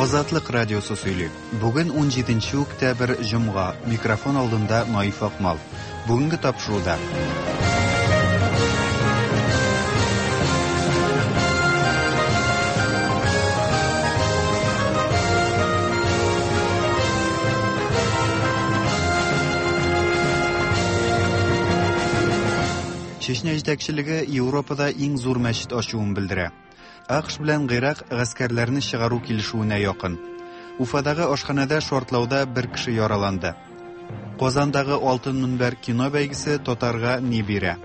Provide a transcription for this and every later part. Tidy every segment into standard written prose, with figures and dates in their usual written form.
Азатлык радиосы сөйли. Бүген 17 октябрь, җомга. Микрофон алдында Наиф Акмал. Бүгенге тапшыруда. Чечня җитәкчелеге Европада иң зур мәчет ачуын белдерә. АКШ белән Гыйрак гаскәрләрне чыгару килешүенә якын. Уфадагы ашханәдә шартлауда бер кеше яраланды. Казандагы Алтын мөнбәр кино бәйгесе татарга ни бирә?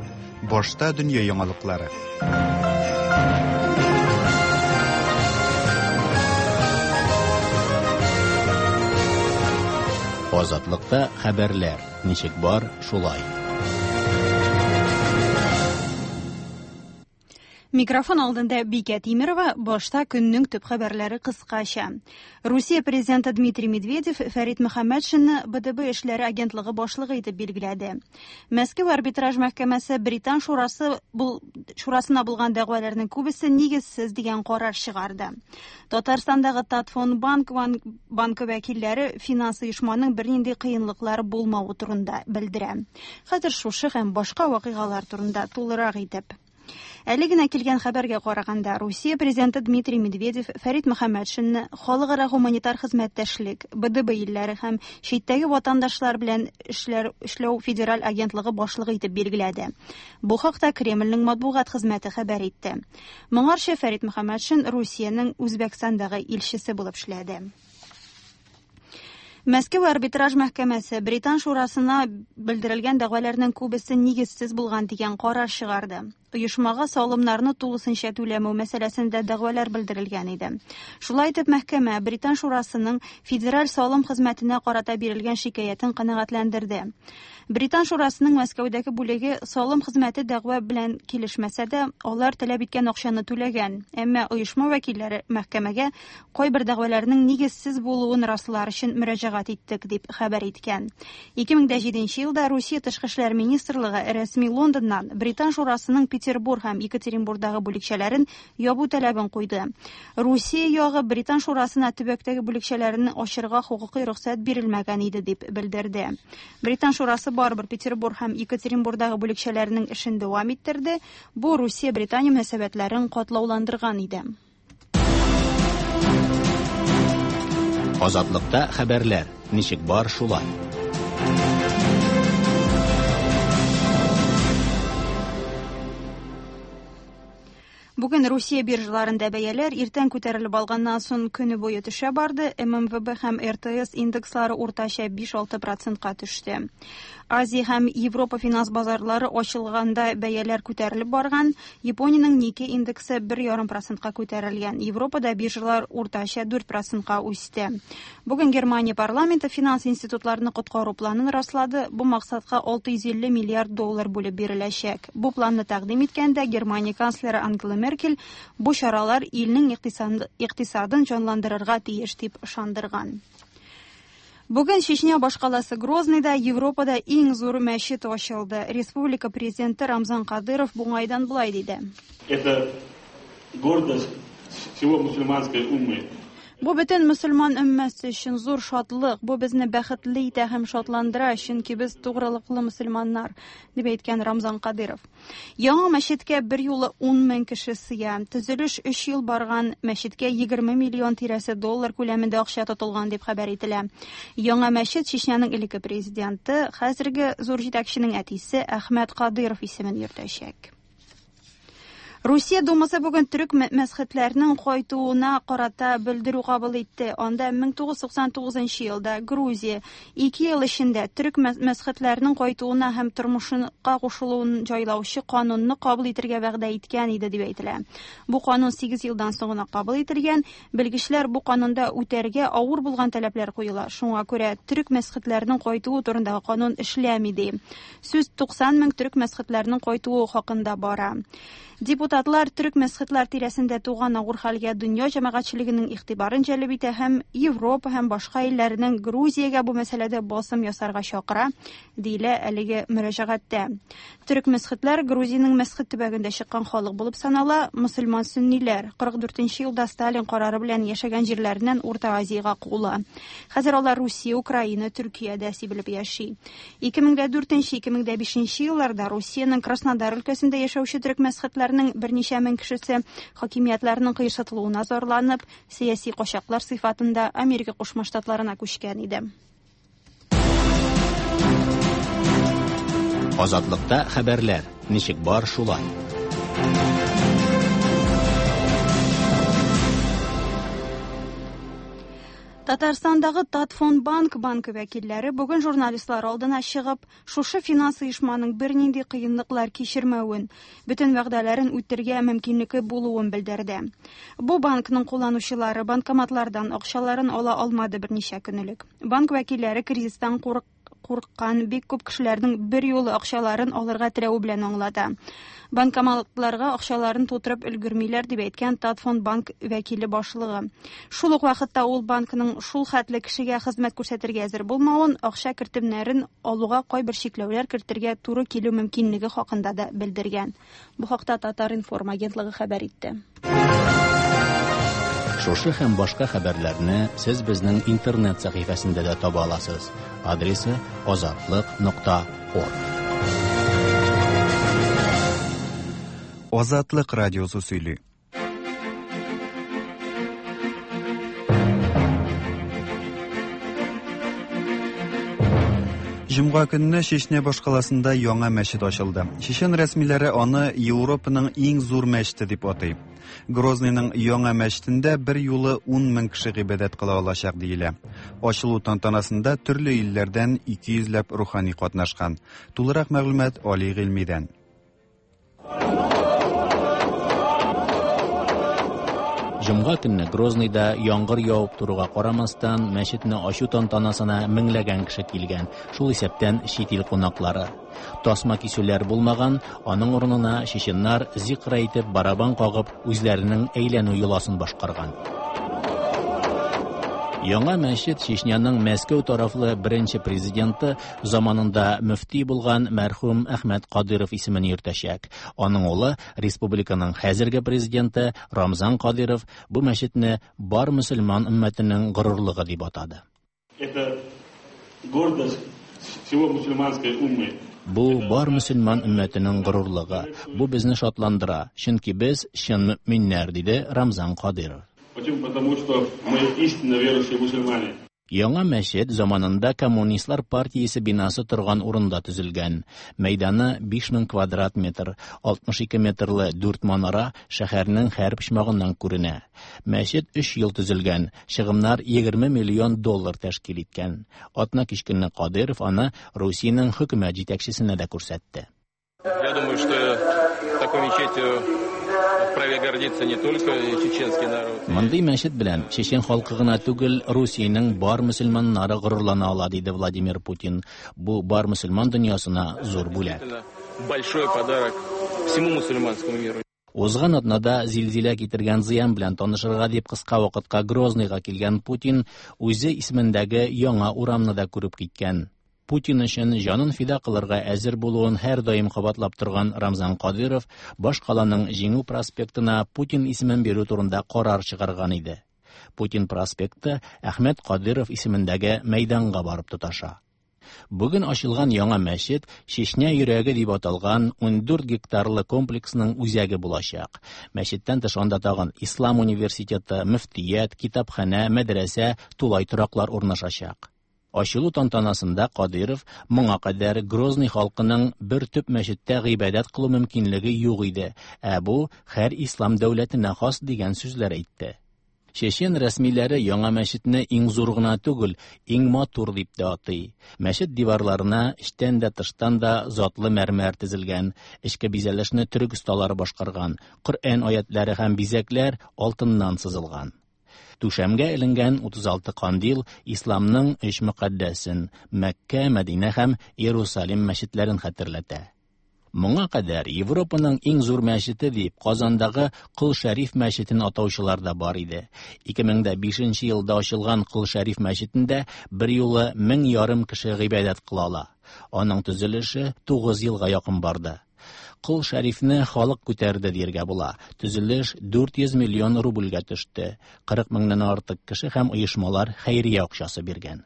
Башта дөнья яңалыклары. Азатлыкта хәбәрләр ничек бар, шулай. Микрофон алдында Бикә Тимерова, башта көннең төп хәбәрләре кыскача. Русия президенты Дмитрий Медведев Фәрит Мөхәммәтшинны БДБ эшләре агентлыгы башлыгы итеп билгеләде. Мәскәү арбитраж мәхкәмәсе Британ шурасы бул, шурасына булган дәгъваларның күбесе нигезсез дигән карар чыгарды. Татарстандагы Татфонбанк банкы вәкилләре финанс оешманың бернинди кыенлыклары булмавы турында белдерә. Хәзер шушы һәм башка вакыйгалар турында тулырак итеп. Әле генә килгән хәбәргә караганда, Русия президенты Дмитрий Медведев Фәрит Мөхәммәтшинны халыкара гуманитар хезмәттәшлек, БДБ илләре һәм читтәге ватандашлар белән эшләр эшләү федераль агентлыгы башлыгы итеп билгеләде. Бу хакта Кремльнең матбугат хезмәте хәбәр итте. Моңарчы Фәрит Мөхәммәтшин Русиянең Үзбәкстандагы илчесе булып эшләде. Мәскәү арбитраж мәхкәмәсе Британ шурасына белдерелгән дәгъваларның күбесе нигезсез булган дигән карар чыгарды. Оешмага салымнарны тулысынча түләмәү мәсьәләсендә дәгъвалар белдерелгән иде. Шулай итеп, мәхкәмә Британ шурасының Федераль салым хезмәтенә карата бирелгән шикаятен канәгатьләндерде. Британ шурасының Мәскәүдәге бүлеге салым хезмәте дәгъва белән килешмәсә дә, алар таләп иткән акчаны түләгән. Әмма оешма вәкилләре мәхкәмәгә кайбер дәгъваларның нигезсез булуын раслар өчен мөрәҗәгать иттек, дип хәбәр иткән. 2007 елда Русия тышкы эшләр министрлыгы рәсми Лондоннан Британ шурасының Петербург һәм Екатеринбургдагы бүлекчәләрен ябу таләбен куйды. Русия ягы Британ шурасына төбәктәге бүлекчәләрен ачырга хокукый рөхсәт бирелмәгән иде, дип белдерде. Британ шурасы барыбер Петербург һәм Екатеринбургдагы бүлекчәләренең эшен дәвам иттерде. Бу Русия-Британия мөнәсәбәтләрен катлауландырган иде. Азатлыкта хәбәрләр ничек бар, шулай. Бүген Русия биржаларында бәяләр иртән күтәрелеп алганнан соң көне буе төшә барды. ММВБ һәм РТС индекслары уртача 5-6 процентка төште. Азия һәм Европа финанс базарлары ачылганда бәяләр күтәрелеп барган. Япониянең Никкей индексы 1,5 процентка күтәрелгән. Европада биржалар уртача 4 процентка үсте. Бүген Германия парламенты финанс институтларны коткару планын раслады. Бу максатка 650 миллиард доллар бүлеп биреләчәк. Бу планны тәкъдим иткәндә Германия канцлеры Ангела Меркель бу чаралар илнең икътисадын җанландырырга тиеш дип ышандырган. Бүген Чечня башкаласы Грозныйда Европада иң зур мәчет ачылды. Республика президенты Рамзан Кадыров бу уңайдан болай диде. Это гордость всего мусульманской уммы. Бу бөтен мөселман өммәсе өчен зур шатлык. Бу безне бәхетле итә һәм шатландыра, чөнки без тугрылыклы мөселманнар, дип әйткән Рамзан Кадыров. Яңа мәчеткә бер юлы 10 мең кеше сыя. Төзелеш 3 ел барган, мәчеткә 20 миллион тирәсе доллар күләмендә акча тотылган дип хәбәр ителә. Яңа мәчет Чечняның элекке президенты, хәзерге зур җитәкченең әтисе Әхмәт Кадыров исемен йөртәчәк. Русия Думасы бүген төрек мәсхетләрнең кайтуына карата белдерү кабул итте. Анда 1999 елда Грузия 2 ел эчендә төрек мәсхетләрнең кайтуына һәм тормышка кушылуын җайлаучы канунны кабул итәргә вәгъдә иткән иде дип әйтелә. Бу канун 8 елдан соң гына кабул ителгән. Белгечләр бу канунда үтәргә авыр булган таләпләр куела. Шуңа күрә төрек мәсхетләрнең кайтуы турындагы канун эшләми ди. Сүз 90 мең төрек мәсхетләрнең кайтуы хакында бара. Депутат Депутатлар төрек-месхетлар тирәсендә туган авыр хәлгә дөнья җәмәгатьчелегенең игътибарын җәлеп итә һәм Европа һәм башка илләрнең Грузиягә бу мәсьәләдә басым ясарга чакыра, диелә әлеге мөрәҗәгатьтә. Төрек-месхетлар Грузиянең Месхет төбәгендә чыккан халык булып санала, мөселман сөнниләр 44 нче елда Сталин карары белән яшәгән җирләреннән Урта Азиягә куыла. Хәзер алар Русия, Украина, Төркиядә сибелеп яши. 2004-2005 елларда Русиянең Краснодар өлкәсендә яшәүче төрек-месхетләрнең берничә мең кешесе хакимиятләрнең кыерсытылуына зарланып, сәяси качаклар сыйфатында Америка Кушма Штатларына күчкән иде. Азатлыкта хәбәрләр, ничек бар шулай. Татарстандагы Татфондбанк банкы вәкилләре бүген журналистлар алдына чыгып, шушы финанс оешманың бернинди кыенлыклар кичермәвен, бөтен вәгъдәләрен үтергә мөмкинлеге булуын белдерде. Бу банкның кулланучылары банкоматлардан акчаларын ала алмады берничә көн элек. Банк вәкилләре кризистан курык курыккан бик күп кешеләрнең берьюлы акчаларын алырга теләве белән аңлата. Банкоматларга акчаларын тутырып өлгермиләр, дип әйткән Татфондбанк вәкиле башлыгы. Шул ук вакытта ул банкның шул хәтле кешегә хезмәт күрсәтергә әзер булмавын, акча кертемнәрен алуга кайбер чикләүләр кертергә туры килү мөмкинлеге хакында да белдергән. Бу хакта Татар-информ агентлыгы хәбәр итте. Шушы һәм башка хәбәрләрне сез безнең интернет сәхифәсендә дә таба аласыз. Адресы азатлык.орг. Азатлык радиосы сөйли. Җомга көнне Чечня башкаласында яңа мәчет ачылды. Чечен рәсмиләре аны Европаның иң зур мәчете дип атый. Грозныйның яңа мәчетендә бер юлы 10 мең кеше гыйбадәт кыла алачак диелә. Ачылу тантанасында төрле илләрдән 200 ләп рухани катнашкан. Тулырак мәгълүмат Али Гыйльмидән. Җомга көнне Грозныйда яңгыр явып торуга карамастан, мәчетне ачу тантанасына меңләгән кеше килгән, шул исәптән чит ил кунаклары. Тасма кисүләр булмаган, аның урынына чеченнар зикр әйтеп, барабан кагып, үзләренең әйләнү йоласын башкарган. Яңа мәчет Чечняның Мәскәү тарафлы беренче президенты заманында мөфти булган мәрхүм Әхмәт Кадыров исемен йөртәчәк. Аның улы, республиканың хәзерге президенты Рамзан Кадыров бу мәчетне бар мөселман өммәтенең горурлыгы дип атады. Это гордость всего мусульманской уммы. Бу бар мөселман өммәтенең горурлыгы. Бу безне шатландыра, чөнки без чын мөэминнәр, диде Рамзан Кадыров. Почему? Потому что мы истинно верующие мусульмане. Яңа мәчет заманында Коммунистлар партиясе бинасы торган урында төзелгән. Мәйданы 5000 квадрат метр, 62 метрлы дүрт манара шәһәрнең һәр почмагыннан күренә. Мәчет өч ел төзелгән, чыгымнар 20 миллион доллар тәшкил иткән. Атна кич көнне Кадыйров аны Русиянең хөкүмәт җитәкчесенә дә күрсәтте. Я думаю, что такой мечетью вправе гордиться не только чеченский народ. Мондый мәчет белән чечен халкы гына түгел, Русиянең бар мөселманнары горурлана ала, диде Владимир Путин. Бу бар мөселман дөньясына зур бүләк. Большой подарок всему мусульманскому миру. Узган атнада зилзилә китергән зыян белән танышырга дип кыска вакытка Грозныйга килгән Путин үзе исемендәге яңа урамны да күреп киткән. Путин өчен җанын фида кылырга әзер булуын һәрдаим кабатлап торган Рамзан Кадыров башкаланың Җиңү проспектына Путин исемен бирү турында карар чыгарган иде. Путин проспекты Әхмәт Кадыров исемендәге мәйданга барып тоташа. Бүген ачылган яңа мәчет Чечня йөрәге дип аталган 14 гектарлы комплексның үзәге булачак. Мәчеттән тыш анда тагын Ислам университеты, мөфтият, китапханә, мәдрәсә, тулай тораклар урнашачак. Ачылу тантанасында Кадыйров моңа кадәр Грозный халкының бер төп мәчеттә гыйбадәт кылу мөмкинлеге юк иде, ә бу һәр ислам дәүләтенә хас дигән сүзләр әйтте. Чечен рәсмиләре яңа мәчетне иң зур гына түгел, иң матур дип тә атый. Мәчет диварларына эчтән дә тыштан да затлы мәрмәр тезелгән, эчке бизәлешне төрек осталары башкарган, Коръән аятлары һәм бизәкләр алтыннан сызылган. Түшәмгә эленгән 36 кандил исламның өч мөкаддәсен Мәккә, Мәдинә һәм Иерусалим мәчетләрен хәтерләтә. Моңа кадәр Европаның иң зур мәчете дип Казандагы Кол Шәриф мәчетен атаучылар да бар иде. 2005 елда ачылган Кол Шәриф мәчетендә берьюлы 1500 кеше гыйбадәт кыла ала. Аның төзелеше 9 елга якын барды. Кол Шәрифне халык күтәрде дияргә була. Төзелеш 400 миллион рубльгә төште. 40 меңнән артык кеше һәм оешмалар хәйрия акчасы биргән.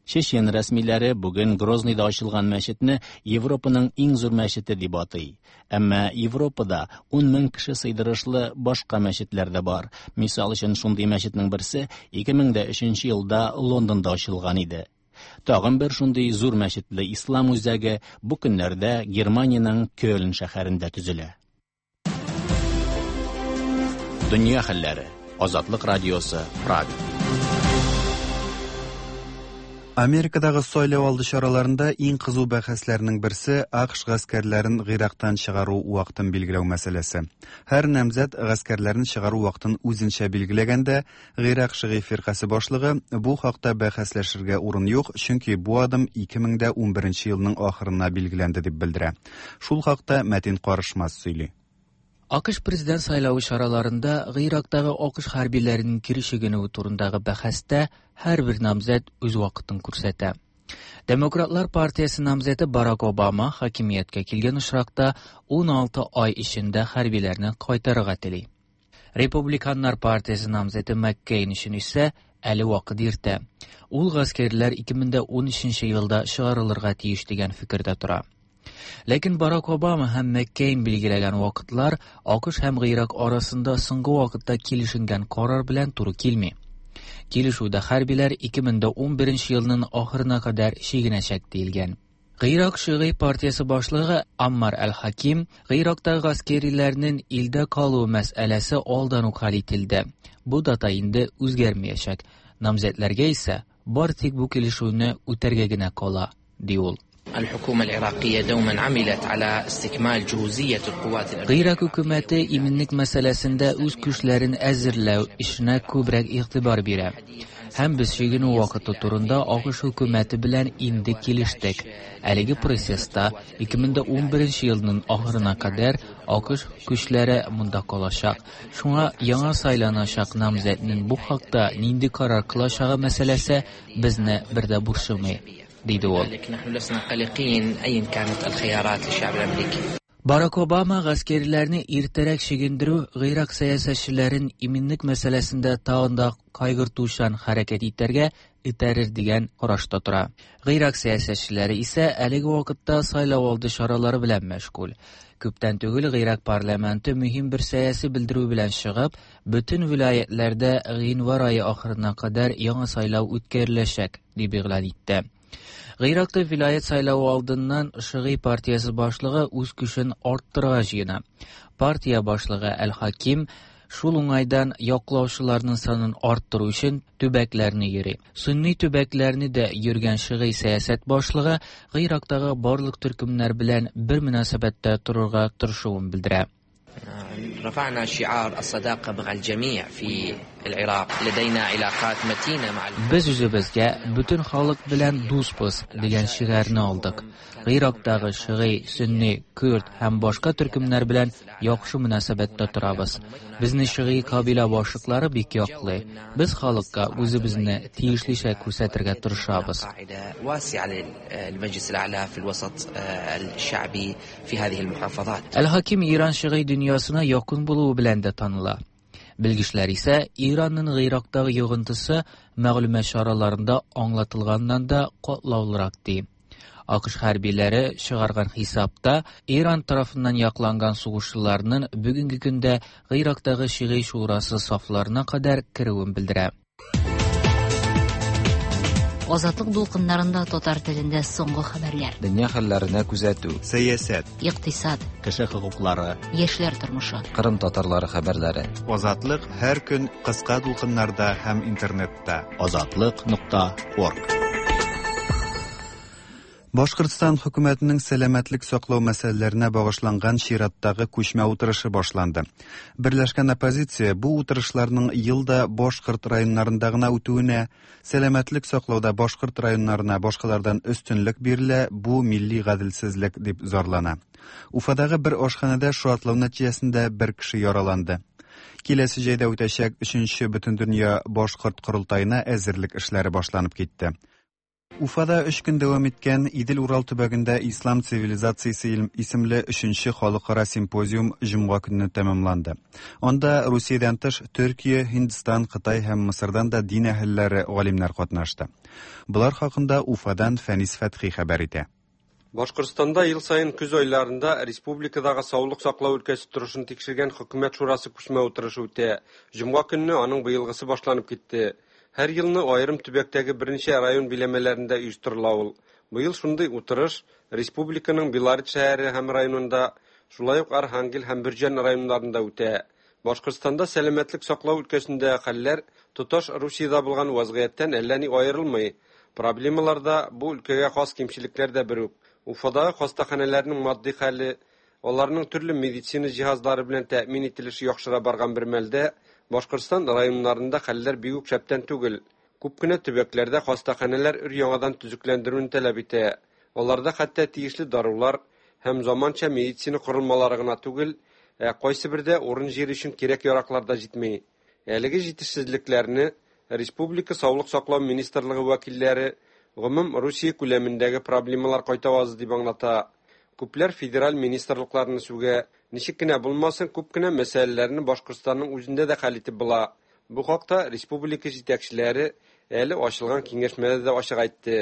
Чечен рәсмиләре бүген Грозныйда ачылган мәчетне Европаның иң зур мәчете дип атый. Әмма Европада 10 мең кеше сыйдырышлы башка мәчетләр дә бар. Мисал өчен, шундый мәчетнең берсе 2003 елда Лондонда ачылган иде. Тагын бер шундый зур мәчетле ислам үзәге бу көннәрдә Германиянең Кёльн шәһәрендә төзелә. Дөнья хәлләре. Азатлык радиосы, Прага. Америкадагы сайлау алды чараларында иң кызу бәхәсләрнең берсе АКШ гаскәрләрен Гыйрактан чыгару вакытын билгеләү мәсьәләсе. Һәр намзәт гаскәрләрен чыгару вакытын үзенчә билгеләгәндә, Гыйрак шигый фиркасе башлыгы бу хакта бәхәсләшергә урын юк, чөнки бу адым 2011 елның ахырына билгеләнде дип белдерә. Шул хакта Мәтин Карышмас сөйли. АКШ президент сайлавы чараларында Гыйрактагы АКШ хәрбиләренең кире чигенүе турындагы бәхәстә һәрбер намзәт үз вакытын күрсәтә. Демократлар партиясе намзәте Барак Обама хакимияткә килгән очракта 16 ай эчендә хәрбиләрне кайтарырга тели. Републиканнар партиясе намзәте Маккейн өчен исә әле вакыт иртә. Ул гаскәрләр 2013 елда чыгарылырга тиеш дигән фикердә тора. Ләкин Барак Обама һәм Маккейн билгеләгән вакытлар АКШ һәм Гыйрак арасында соңгы вакытта килешенгән карар белән туры килми. Килешүдә хәрбиләр 2011 елның ахырына кадәр чигенәчәк диелгән. Гыйрак шигый партиясе башлыгы Аммар Әл-Хаким Гыйрактагы гаскәриләрнең илдә калуы мәсьәләсе алдан ук хәл ителде. Бу дата инде үзгәрмәячәк. Намзәтләргә исә бар тик бу килешүне үтәргә генә кала, ди ул. الحكومة العراقية دوما عملت على استكمال جهوزية القوات Гыйрак хөкүмәте иминлек мәсьәләсендә үз көчләрен әзерләү эшенә күбрәк игътибар бирә. Һәм без чигенү вакыты турында АКШ хөкүмәте белән инде килештек. Әлеге процесста 2011 елның ахырына кадәр АКШ көчләре монда калачак. Шуңа яңа сайланачак намзәтнең бу хакта нинди карар кылачагы мәсьәләсе безне бер дә борчымый, диде ул. لذلك نحن لسنا قلقين أيا كانت الخيارات للشعب الأمريكي. Барак Обама гаскәриләрне иртәрәк чигендерү Гыйрак сәясәтчеләрен иминлек мәсьәләсендә тагын да кайгыртучан хәрәкәт итәргә этәрер дигән карашта тора. Гыйрак сәясәтчеләре исә әлеге вакытта сайлау алды чаралары белән мәшгуль. Күптән түгел Гыйрак парламенты мөһим бер сәяси белдерү белән чыгып, бөтен вилаятләрдә гыйнвар ае ахырына кадәр яңа сайлау үткәреләчәк дип игълан итте. Гыйракта вилаят сайлавы алдыннан Шигый партиясе башлыгы үз көчен арттырырга җыена. Партия башлыгы Әл-Хаким шул уңайдан яклаучыларның санын арттыру өчен төбәкләрне йөри. Сунни төбәкләрне дә йөргән шигый сәясәт башлыгы Гыйрактагы барлык төркемнәр белән бер мөнәсәбәттә торырга тырышуын белдерә. رفعنا شعار الصداقة مع الجميع في العراق لدينا علاقات متينة مع Без үзебезгә бөтен халык белән дусбыз дигән шигарны алдык. Гыйрактагы шигый, сөнни, күрд һәм башка төркемнәр белән яхшы мөнәсәбәттә торабыз. Безне шигый кабилә башлыклары бик яклый. Без халыкка үзебезне тиешлечә күрсәтергә тырышабыз. قاعدة واسعة للمجلس الأعلى في الوسط الشعبي في هذه المحافظات. Әл-Хаким Иран шигый дөньясына якын булуы белән дә таныла. Белгечләр исә Иранның Гыйрактагы йогынтысы мәгълүмат чараларында аңлатылганнан да катлаулырак ди. АКШ хәрбиләре чыгарган хисапта Иран тарафыннан якланган сугышчыларның бүгенге көндә Гыйрактагы шигый шурасы сафларына кадәр керүен белдерә. Азатлык дулкыннарында татар телендә соңгы хәбәрләр. Дөнья хәлләренә күзәтү. Сәясәт, Икътисад, Кеше хокуклары, яшьләр тормышы. Кырым татарлары хәбәрләре. Азатлык һәр көн кыска дулкыннарда һәм интернетта. Азатлык.орг. Башкортстан хөкүмәтенең сәламәтлек саклау мәсьәләләренә багышланган чираттагы күчмә утырышы башланды. Берләшкән оппозиция бу утырышларның ел да башкорт районнарында гына үтүенә, сәламәтлек саклауда башкорт районнарына башкалардан өстенлек бирелә, бу милли гаделсезлек дип зарлана. Уфадагы бер ашханәдә шартлау нәтиҗәсендә бер кеше яраланды. Киләсе җәйдә үтәчәк 3нче Бөтендөнья башкорт корылтаена әзерлек эшләре башланып китте. Уфада 3 көн дәвам иткән Идел-Урал төбәгендә ислам цивилизациясе исемле 3нче халыкара симпозиум җомга көнне тәмамланды. Анда Русиядән тыш Төркия, Һиндстан, Кытай һәм Мысырдан да дин әһелләре, галимнәр катнашты. Болар хакында Уфадан Фәнис Фәтхи хәбәр итә. Башкортстанда ел саен көз айларында республикадагы саулык саклау өлкәсе торышын тикшергән хөкүмәт шурасы күчмә утырышы үтә. Җомга көнне аның быелгысы башланып китте. Һәр елны аерым төбәктәге берничә район биләмәләрендә оештырыла ул. Быел шундый утырыш республиканың Белорет шәһәре һәм районында, шулай ук Архангел һәм Бөрҗән районнарында үтә. Башкортстанда сәламәтлек саклау өлкәсендә хәлләр тоташ Русиядә булган вазгыятьтән әллә ни аерылмый. Проблемалар да, бу өлкәгә хас кимчелекләр дә бер үк. Уфадагы хастаханәләрнең матди хәле, аларның төрле медицина җиһазлары белән тәэмин ителеше яхшыра барган бер мәлдә, Башкортстан районнарында хәлләр бик үк шәптән түгел. Күп кенә төбәкләрдә хастаханәләр өр-яңадан төзекләндерүне таләп итә. Аларда хәтта тиешле дарулар һәм заманча медицина корылмалары гына түгел, ә кайсы бердә урын-җир өчен кирәк-яраклар да җитми. Әлеге җитешсезлекләрне Республика Саулык саклау министрлыгы вәкилләре гомум Русия күләмендәге проблемалар кайтавазы дип аңлата. Күпләр федераль министрлыкларны сүгә, ничек кенә булмасын, күп кенә мәсьәләләрне Башкортстанның үзендә дә хәл итеп була. Бу хакта республика җитәкчеләре әле ачылган киңәшмәдә дә ачык әйтте.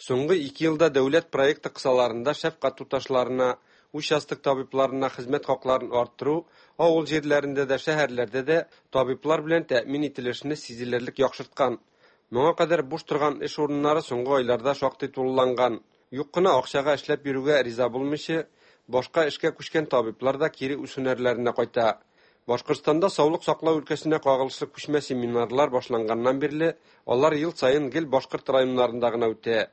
Соңгы 2 елда дәүләт проекты кысаларында шәфкать туташларына, участок табибларына хезмәт хакларын арттыру, авыл җирләрендә дә, шәһәрләрдә дә табиблар белән тәэмин ителешне сизелерлек яхшырткан. Моңа кадәр буш торган эш урыннары соңгы айларда шактый тулыланган. Юк кына акчага эшләп йөрүгә риза булмыйча, башка эшкә күчкән табиблар да кире үз һөнәрләренә кайта. Башкортстанда саулык саклау өлкәсенә кагылышлы күчмә семинарлар башланганнан бирле алар ел саен гел башкорт районнарында гына үтә.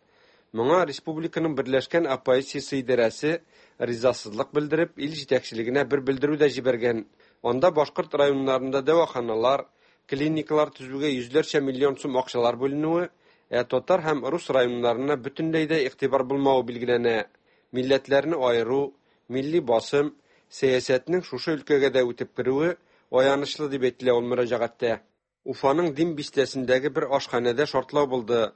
Моңа республиканың Берләшкән оппозициясе идарәсе ризасызлык белдереп, ил җитәкчелегенә бер белдерү дә җибәргән. Анда башкорт районнарында дәваханалар, клиникалар төзүгә йөзләрчә миллион сум акчалар бүленүе, ә татар һәм рус районнарына бөтенләй дә игътибар булмавы билгеләнә. Милләтләрне айыру, милли басым, сәясәтнең шушы өлкәгә дә үтеп керүе аянычлы дип әйтелә ул мөрәҗәгатьтә. Уфаның Дим бистәсендәге бер ашханәдә шартлау булды.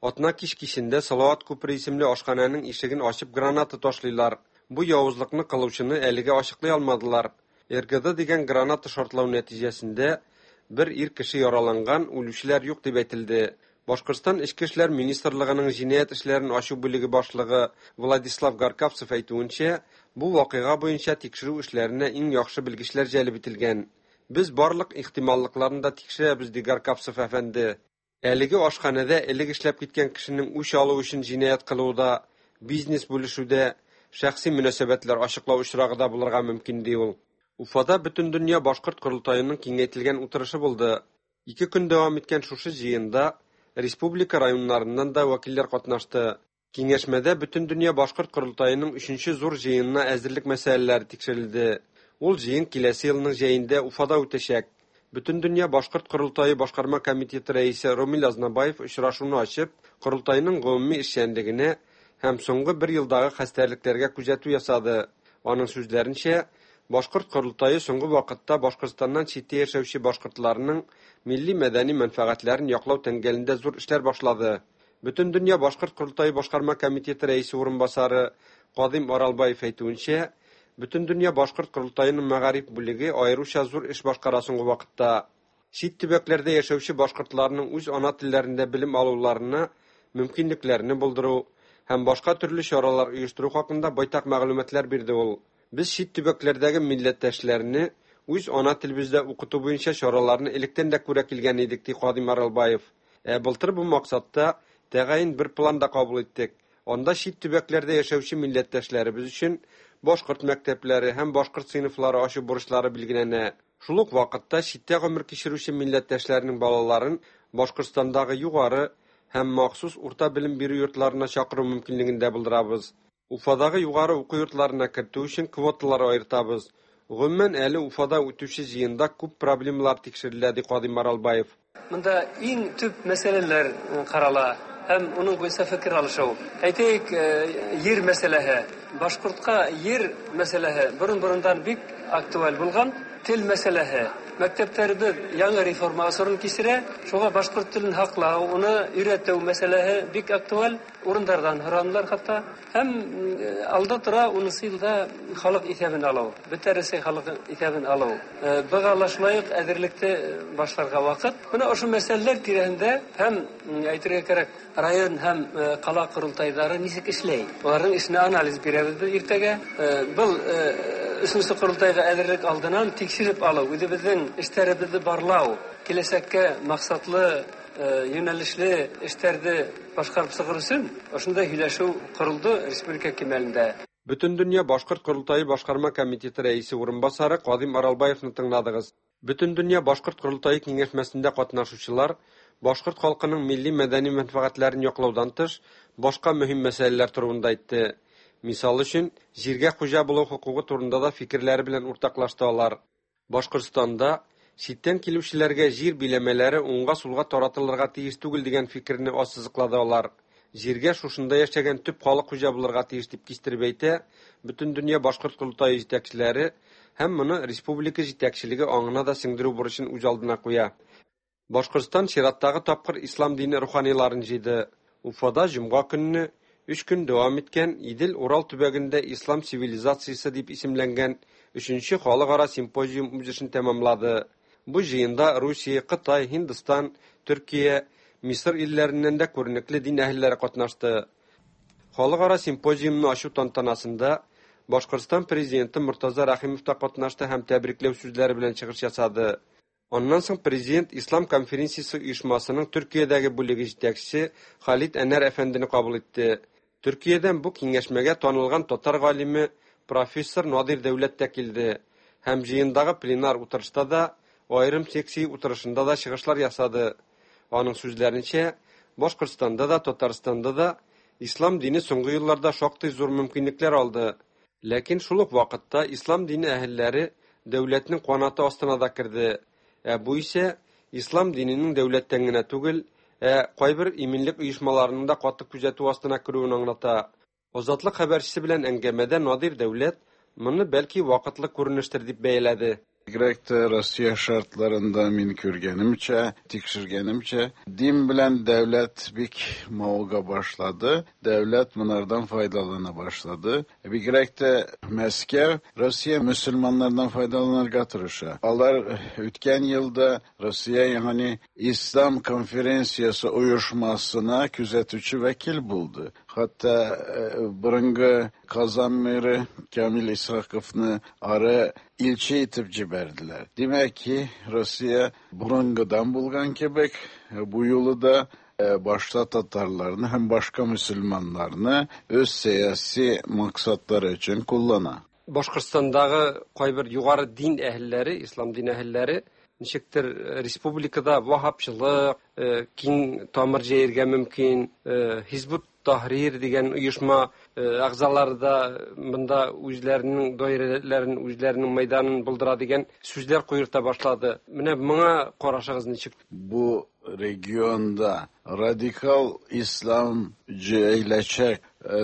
Атна кич кичендә Салават күпере исемле ашханәнең ишеген ачып граната ташлыйлар. Бу явызлыкны кылучыны әлегә ачыклый алмадылар. РГД дигән граната шартлау нәтиҗәсендә бер ир кеше яраланган, үлүчеләр юк дип әйтелде. Башкортстан Эчке эшләр министрлыгының җинаять эшләрен ачу бүлеге башлыгы Владислав Гаркавцев әйтүенчә, бу вакыйга буенча тикшерү эшләренә иң яхшы белгечләр җәлеп ителгән. Без барлык ихтималлыкларны да тикшерәбез, ди Гаркавцев әфәнде. Әлеге ашханәдә элек эшләп киткән кешенең үч алу өчен җинаять кылуы, бизнес бүлешүдә, шәхси мөнәсәбәтләр ачыклау очрагы да булырга мөмкин, ди ул. Уфада Бөтендөнья башкорт корылтаеның киңәйтелгән утырышы булды. 2 көн дәвам иткән шушы җыенда республика районнарыннан да вәкилләр катнашты. Киңәшмәдә Бөтендөнья башкорт корылтаеның 3нче зур җыенына әзерлек мәсьәләләре тикшерелде. Ул җыен киләсе елның җәендә Уфада үтәчәк. Бөтендөнья башкорт корылтае башкарма комитеты рәисе Ромил Азнабаев очрашуны ачып, корылтайның гомуми эшчәнлегенә һәм соңгы бер елдагы хәстәрлекләргә күзәтү ясады. Аның сүзләренчә, башкорт корылтае соңгы вакытта Башкортстаннан читтә яшәүче башкортларның милли мәдәни мәнфәгатьләрен яклау тәңгәлендә зур эшләр башлады. Бөтендөнья башкорт корылтае башкарма комитеты рәисе урынбасары Кадим Аралбаев әйтүенчә, Бөтендөнья башкорт корылтаеның мәгариф бүлеге аеруча зур эш башкара соңгы вакытта. Чит төбәкләрдә яшәүче башкортларның үз ана телләрендә белем алуларына мөмкинлекләрне булдыру һәм башка төрле чаралар оештыру хакында байтак мәгълүматлар бирде ул. Без чит төбәкләрдәге милләттәшләрне үз ана телебездә укыту буенча чараларны электән дә күрә килгән идек, ди Кадим Аралбаев. Ә былтыр бу максатта тәгаен бер план да кабул иттек. Анда чит төбәкләрдә яшәүче милләттәшләребез өчен башкорт мәктәпләре һәм башкорт сыйныфлары ачу бурычлары билгеләнә. Шул ук вакытта читтә гомер кичерүче милләттәшләрнең балаларын Башкортстандагы югары һәм махсус урта белем бирү йортларына чакыру мөмкинлеген дә булдырабыз. Уфадагы югары уку йортларына кертү өчен квоталар аертабыз. Гомумән, әле Уфада үтүче җыенда күп проблемалар тикшерелә, ди Кадыйм Аралбаев. Монда иң төп мәсьәләләр карала һәм уның буенча фикер алышу. Әйтәйек, ер мәсьәләһе. Башкортка ер мәсьәләһе борын-борындан бик актуаль булган. Тел мәсьәләһе. Мәктәпләребез яңа реформа осырын кичерә. Шуңа башкорт телен һаклау, уны өйрәтү мәсьәләһе бик актуаль. Урындардан һоранлар хатта. Һәм алда тора унынчы елда халык исәбен алу. Бөтә Рәсәй халык исәбен алу. Быга ла шулай ук әзерлекте башларга вакыт. Менә ошо мәсьәләләр тирәһендә һәм әйтергә кирәк, район һәм кала корылтайлары ничек эшләй? Аларның эшенә анализ бирәбез без иртәгә. Был өченче корылтайга әзерлек алдынан тикшереп алу, үзебезнең эшләребезне барлау, киләчәккә максатлы юнәлешле эшләрне башкарып чыгыр өчен ошондай һөйләшү корылды республика кимәлендә. Бөтендөнья башкорт корылтае башкарма комитеты рәисе урынбасары Кадыйм Аралбаевны тыңладыгыз. Бөтендөнья башкорт корылтае киңәшмәсендә катнашучылар башкорт халкының милли мәдәни мәнфәгатьләрен яклаудан тыш, башка мөһим мәсьәләләр турында әйтте. Мисал өчен, җиргә хуҗа булу хокукы турында да фикерләре белән уртаклашты алар. Башкортстанда читтән килүчеләргә җир биләмәләре уңга-сулга таратылырга тиеш түгел дигән фикерне ассызыклады алар. Җиргә шушында яшәгән төп халык хуҗа булырга тиеш дип кистереп әйтә Бөтендөнья башкорт корылтае җитәкчеләре һәм моны республика җитәкчелеге аңына да сеңдерү бурычын үз алдына куя. Башкортстан чираттагы тапкыр ислам дине руханиларын җыйды. Уфада җомга көнне 3 көн дәвам иткән Идел-Урал төбәгендә ислам цивилизациясе дип исемләнгән 3нче халыкара симпозиум үз эшен тәмамлады. Бу җыенда Русия, Кытай, Һиндстан, Төркия, Мисыр илләреннән дә күренекле дин әһелләре катнашты. Халыкара симпозиумны ачу тантанасында Башкортстан президенты Мортаза Рәхимов та катнашты һәм тәбрикләү сүзләре белән чыгыш ясады. Аннан соң президент Ислам конференциясе оешмасының Төркиядәге бүлеге җитәкчесе Халид Әнәр әфәндене кабул итте. Төркиядән бу киңәшмәгә танылган татар галиме профессор Надир Дәүләт тә килде һәм җыендагы пленар утырышта да, аерым секция утырышында да чыгышлар ясады. Аның сүзләренчә, Башкортстанда да, Татарстанда да ислам дине соңгы елларда шактый зур мөмкинлекләр алды. Ләкин шул ук вакытта ислам дине әһелләре дәүләтнең канаты астына да керде. Ә бу исә ислам диненең дәүләттән генә түгел, ә кайбер иминлек оешмаларының да каты күзәтү астына керүен аңлата. Азатлык хәбәрчесе белән әңгәмәдә Надир Дәүләт моны бәлки вакытлы күренештер дип бәяләде. Бигрәк тә Россия шартларында мин күргәнемчә, тикшергәнемчә, дин белән дәүләт бик мавыга башлады. Дәүләт монардан файдалана башлады. Бигрәк тә Мәскәү Россия мөселманнардан файдаланырга тырыша. Алар үткән елда Россия, ягъни Ислам конференциясе оешмасына күзәтүче вәкил булды. Хәтта борынгы Казан мэры Камил Исхаковны ары илче итеп җибәрделәр. Димәк ки, Россия борынгыдан булган кебек, бу юлы да башта татарларны һәм башка мөселманнарны үз сәяси максатлары өчен куллана. Башкортстандагы кайбер югары дин әһелләре, ислам дин әһелләре ничектер республикада ваһһабчылык киң тамыр җәергә мөмкин, Хизбут Таһрир дигән оешма әгъзалары да монда үзләренең даирәләрен, үзләренең мәйданын булдыра дигән сүзләр куерта башлады. Менә моңа карашыгыз ничек? Бу регионда радикал ислам җәеләчәк,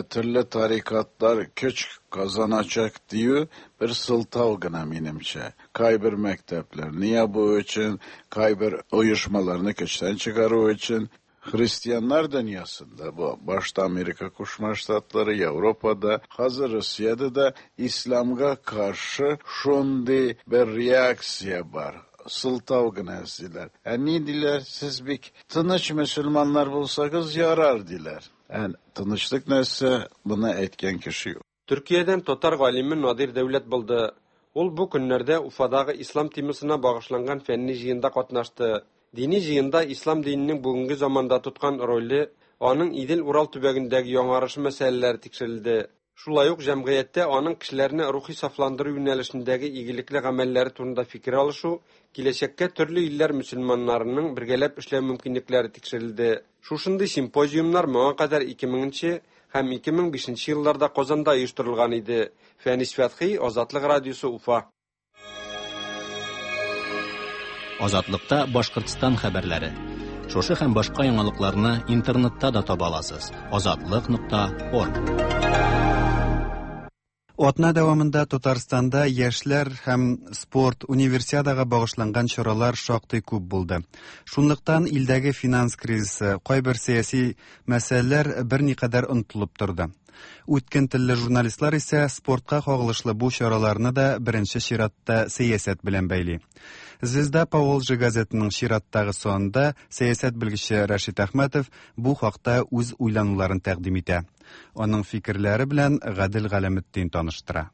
төрле тарикатлар көч казаначак дию бер сылтау гына минемчә. Кайбер мәктәпләрне ябу өчен, кайбер оешмаларны көчтән чыгару өчен. Христианнар дөньясында, бу башта Америка Кушма Штатлары, Европада, хәзер Россиядә дә исламга каршы шундый бер реакция бар. Сылтау гына эзлиләр. Ә ни диләр? Сез бик тыныч мөселманнар булсагыз ярар диләр. Ә тынычлык нәрсә, моны әйткән кеше юк. Төркиядән татар галиме Надир Дәүләт булды. Ул бу көннәрдә Уфадагы ислам темасына багышланган фәнни җыенда катнашты. Дини җыенда ислам диненең бүгенге заманда тоткан роле, аның Идел-Урал төбәгендәге яңарышы мәсьәләләре тикшерелде. Шулай ук җәмгыятьтә аның кешеләрне рухи сафландыру юнәлешендәге игелекле гамәлләре турында фикер алышу, киләчәккә төрле илләр мөселманнарының бергәләп эшләү мөмкинлекләре тикшерелде. Шушындый симпозиумнар моңа кадәр 2000 нче һәм 2005 нче елларда Казанда оештырылган иде. Фәнис Фәтхи, Азатлык радиосы, Уфа. Азатлыкта Башкортстан хәбәрләре. Шушы һәм башка яңалыкларны интернетта да таба аласыз. Азатлык.орг. Атна дәвамында Татарстанда яшьләр һәм спорт универсиадага багышланган чаралар шактый күп булды. Шунлыктан илдәге финанс кризисы, кайбер сәяси мәсьәләләр берникадәр онытылып торды. Үткен телле журналистлар исә спортка кагылышлы бу чараларны да беренче чиратта сәясәт белән бәйли. Звезда Поволжья газетының чираттагы санында сәясәт белгече Рәшит Әхмәтов бу хакта үз уйлануларын тәкъдим итә. Аның фикерләре белән Гадел Галәметдин таныштыра.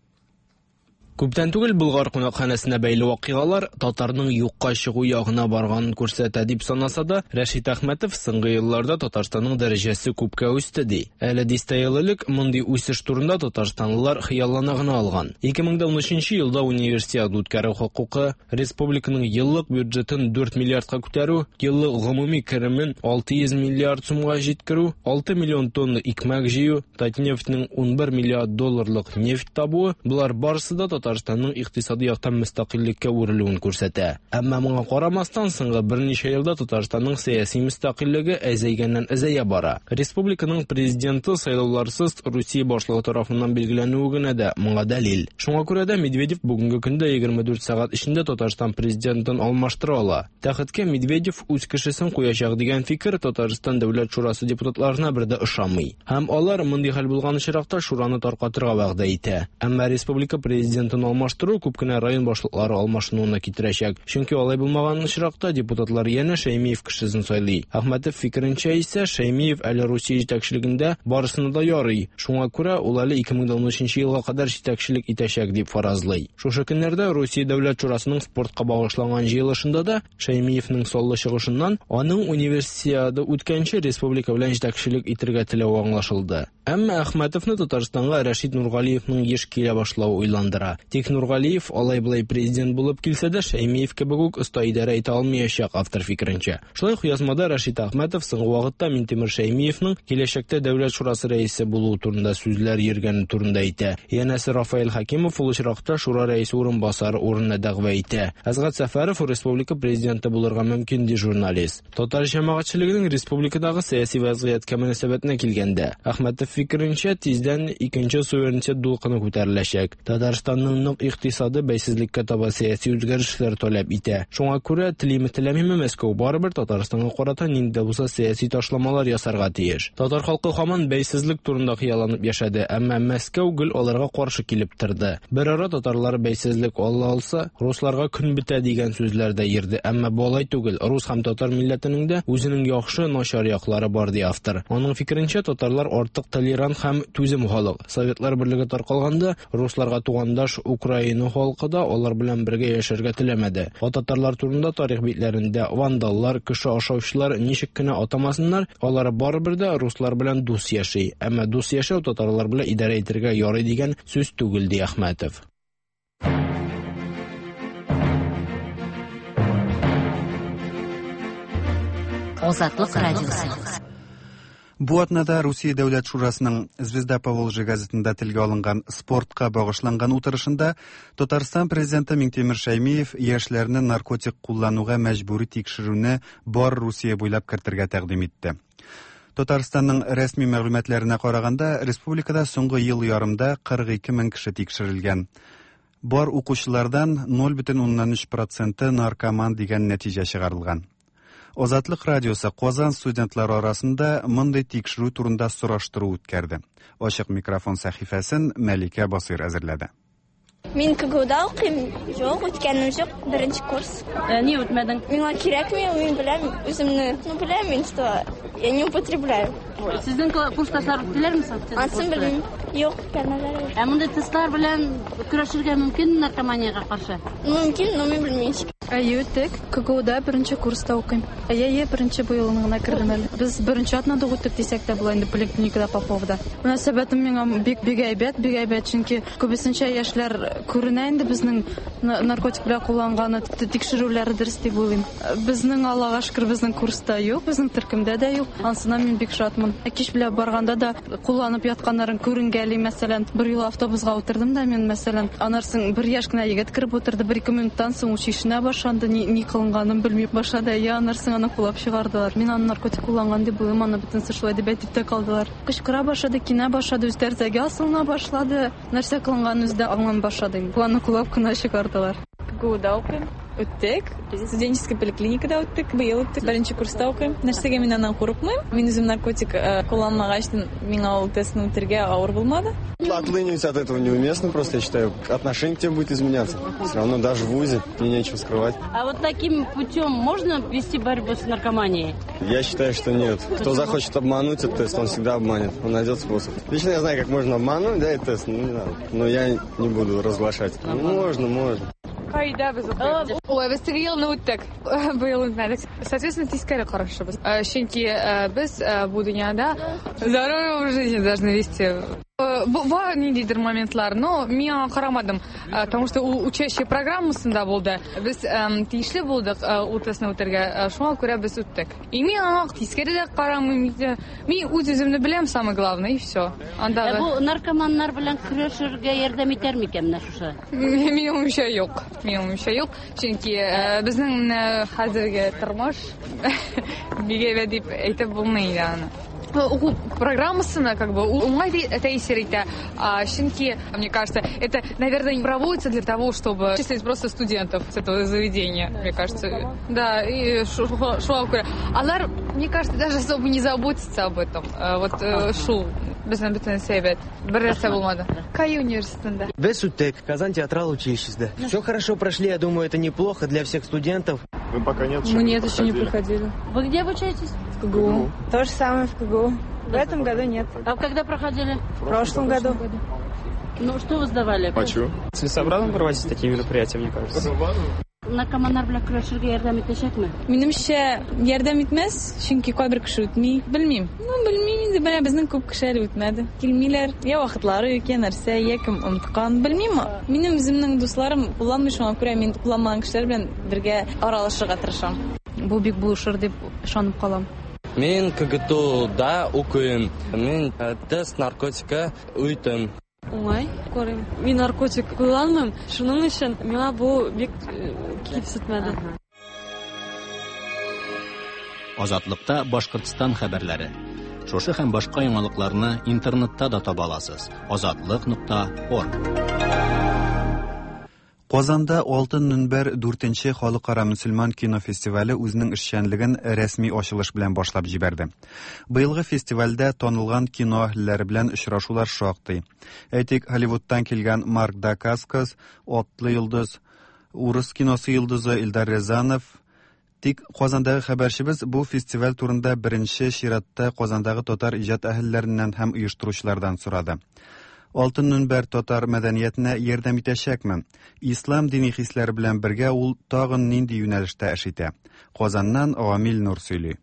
Күптән түгел Болгар кунакханәсенә бәйле вакыйгалар татарның юкка чыгу ягына барганын күрсәтә дип санаса да, Рәшит Әхмәтов соңгы елларда Татарстанның дәрәҗәсе күпкә үсте ди. Әле дистә ел элек мондый үсеш турында татарстанлылар хыяллана гына алган. 2013 елда универсиада үткәрү хокукы, республиканың еллык бюджетын 4 миллиардка күтәрү, еллык гомуми керемен 600 миллиард сумга җиткерү, 6 миллион тонна икмәк җыю, Татнефтьнең 11 миллиард долларлык нефть табуы, болар барысы да Татарстанның икътисади яктан мөстәкыйльлеккә үрелүен күрсәтә. Әмма моңа карамастан, соңгы берничә елда Татарстанның сәяси мөстәкыйльлеге әзәйгәннән-әзәя бара. Республиканың президенты сайлауларсыз Русия башлыгы тарафыннан билгеләнүе генә дә моңа дәлил. Шуңа күрә дә Медведев бүгенге көндә 24 сәгать эчендә Татарстан президентын алмаштыра ала. Тәхеткә Медведев үз кешесен куячак дигән фикер Татарстан Дәүләт шурасы депутатларына бер дә ошамый. Һәм алар мондый хәл булган очракта шураны таркатырга вәгъдә итә. Әмма республика президентын алмаштыру күп кенә район башлыклары алмашынуына китерәчәк. Чөнки алай булмаган очракта депутатлар янә Шәймиев кешесен сайлый. Әхмәтов фикеренчә исә, Шәймиев әле Русия җитәкчелегендә барысына да ярый. Шуңа күрә ул әле 2013 елга кадәр җитәкчелек итәчәк дип фаразлый. Шушы көннәрдә Русия Дәүләт шурасының спортка багышланган җыелышында да Шәймиевнең саллы чыгышыннан аның универсиада үткәнче республика белән җитәкчелек итергә теләве аңлашылды. Әмма Әхмәтовны Татарстанга Рәшит Нургалиевның еш килә башлавы уйландыра. Тик Нургалиев алай-болай президент булып килсә дә, Шәймиев кебек үк оста идарә итә алмаячак, автор фикеренчә. Шулай ук язмада Рәшит Әхмәтов соңгы вакытта Минтимер Шәймиевның киләчәктә Дәүләт шурасы рәисе булуы турында сүзләр йөргәне турында әйтә. Янәсе Рафаэль Хәкимов ул очракта шура рәисе урынбасары урынына дәгъва итә. Әсгать Сәфәров республика президенты булырга мөмкин, ди журналист. Татар җәмәгатьчелегенең республикадагы сәяси вәзгыятькә мөнәсәбәтенә килгәндә, Әхмәтов фикеренчә, тиздән икенче суверенитет дулкыны күтәреләчәк. Татарстанның нык икътисады бәйсезлеккә таба сәяси үзгәрешләр таләп итә. Шуңа күрә, телиме-теләмиме, Мәскәү барыбер Татарстанга карата нинди дә булса сәяси ташламалар ясарга тиеш. Татар халкы һаман бәйсезлек турында хыялланып яшәде, әмма Мәскәү гел аларга каршы килеп торды. Берара татарлар бәйсезлек ала алса, русларга көн бетә дигән сүзләр дә йөрде, әмма бу алай түгел. Рус һәм татар милләтенең дә үзенең яхшы, начар яклары бар, ди автор. Аның фикеренчә, татарлар артык толерант һәм түзем халык. Советлар берлеге таркалганда, русларга тугандаш Украина халкы да алар белән бергә яшәргә теләмәде. Ә татарлар турында тарих битләрендә вандаллар, кеше ашаучылар ничек кенә атамасыннар, алар барыбер дә руслар белән дус яши. Әмма дус яшәү татарлар белән идарә итәргә ярый дигән сүз түгел, ди Әхмәтов. Азатлык радиосы. Бу атнада Русия Дәүләт Шурасының Звезда Поволжья газетында телгә алынган спортка багышланган утырышында Татарстан президенты Миңтимер Шәймиев яшьләрне наркотик куллануга мәҗбүри тикшерүне бар Русия буйлап кертергә тәкъдим итте. Татарстанның рәсми мәгълүматларына караганда, республикада соңгы ел ярымда 42 мең кеше тикшерелгән. Бар укучылардан 0,3 проценты наркоман дигән нәтиҗә чыгарылган. Азатлык радиосы Казан студентлары арасында мондый тикшерү турында сораштыру үткәрде. Ачык микрофон сәхифәсен Мәликә Басыйр әзерләде. Мин КГУда укыйм. Юк, үткәнем юк, беренче курс. Ә, ни үтмәдең? Миңа кирәкми, мин беләм үземне. Ну, беләм мин, что я не употребляю. Сезнең курсташлар үттеләрме соң? Ансын белмим. Юк, үткәннәр. Ә мондый тестлар белән көрәшергә мөмкин наркоманиягә каршы? Мөмкин, но мин белмим. Әйе, үттек. КГУда беренче курста укыйм. Әйе, әйе, беренче бу елны гына кердем әле. Без беренче атнада ук үттек дисәк тә була инде поликлиникада Поповда. Мөнәсәбәтем миңа бик бик әйбәт, бик әйбәт, чөнки күбесенчә яшьләр күренә инде безнең наркотик белән кулланганы, тикшерүләре дөрес дип уйлыйм. Безнең, Аллага шөкер, безнең курста юк, безнең төркемдә дә юк. Анысына мин бик шатмын. Кич белән барганда да кулланып ятканнарын күренгәли, мәсәлән, бер юлы автобусга утырдым да мин, мәсәлән, аннан соң бер яшь кенә егет кереп утырды, бер-ике минуттан соң ул чишенә башланды, ни, ни кылынганын белми башлады. Әйе, аннан соң аны кулап чыгардылар. Мин аны наркотик кулланган дип уйлыйм, аны бөтенесе шулай дип әйтеп тә калдылар. Кычкыра башлады, кинә башлады, үз тәрәзәгә асылына башлады. Нәрсә кылынганын үзе дә аңламый башлады инде. Аны кулап кына чыгардылар. КГУда укыйм. Үттек. Студенческий поликлиникада үттек. Быел үттек. Беренче курста укыйм. Нәрсәгә мин аннан курыкмыйм. Мин үзем наркотик э, кулланмагач, миңа ул тестны үтергә авыр булмады. Отлынивать от этого неуместно, просто я считаю, отношение к тебе будет изменяться. Все равно даже в ВУЗе мне нечего скрывать. А вот таким путем можно вести борьбу с наркоманией? Я считаю, что нет. Кто захочет обмануть этот тест, он всегда обманет. Он найдет способ. Лично я знаю, как можно обмануть, да, этот тест, ну не надо. Но я не буду разглашать. Ну, можно, можно. КАИда без укыйбыз. Ой, без теге елны үттек. Быел үтмәдек. Соответственно, тискәре карашыбыз. Э, чөнки э, без э, бу дөньяда здоровый образ жизни должны вести. Бар ниндидер моментлар, но мин аңа карамадым, потому что ул учащая программасында булды. Без тиешле булдык ул тестны үтәргә, шуңа күрә без үттек. И мин аңа тискәре дә карамыйм. Мин үз-үземне беләм, самое главное, и все. Андагы. Ә бу наркоманнар белән көрәшергә ярдәм итәр микән менә шушы? Минем уемча юк. Минем уемча юк. Чөнки э, безнең менә хәзерге тормыш бик әйбәт дип әйтеп булмый инде аны. Уку программасына как бы уңай тәэсир итә. Чөнки, мне кажется, это, наверное, проводится для того, чтобы числить просто студентов с этого заведения, мне кажется. Да, и шуңа күрә. Алар, мне кажется, даже особо не заботятся об этом. Э, вот э, шул безнең бөтенесе әйбәт. Бер нәрсә булмады. КАИ университетында. Без үттек, Казан театрал училищесендә. Все хорошо прошли, я думаю, это неплохо для всех студентов. Мы пока нет, Мы нет, еще не проходили. Вы где обучаетесь? В КГУ. То же самое в КГУ. В этом году нет. А когда проходили? В прошлом году. Ну, что вы сдавали? Почему? Целесообразно проводить такие мероприятия, мне кажется. Наркоманнар белән көрәшергә ярдәм итәчәкме? Минемчә, ярдәм итмәс, чөнки кайбер кеше үтми. Белмим. Ну, белмим инде, менә безнең күп кеше әле үтмәде. Килмиләр, я вакытлары юк, я нәрсә, я кем оныткан. Белмим. Минем үземнең дусларым кулланмый, шуңа күрә мин кулланмаган кешеләр белән бергә аралашырга тырышам. Бу бик булышыр дип ышанып калам. Мин КГТУда укыйм. Мин э, тест наркотика үтем. Уңай карыйм. Мин наркотик кулланмыйм, шуның өчен миңа бу бик э, кимсетмәде. Азатлыкта Башкортстан хәбәрләре. Шушы һәм башка яңалыкларны интернетта да таба аласыз. Азатлык.орг. Казанда Алтын мөнбәр дүртенче халыкара мөселман кино фестивале үзенең эшчәнлеген рәсми ачылыш белән башлап җибәрде. Быелгы фестивальдә танылган кино әһелләре белән очрашулар шактый. Әйтик, Голливудтан килгән Марк Дакаскас, Атлы йолдыз, урыс киносы йолдызы Илдар Рязанов, Тик Казандагы хәбәрчебез бу фестиваль турында беренче чиратта Казандагы татар иҗат әһелләреннән һәм оештыручылардан сорады. Алтын мөнбәр татар мәдәниятенә ярдәм итәчәкме? Ислам дини хисләре белән бергә ул тагын нинди юнәлештә эш итә? Казаннан Гамил Нур сөйли.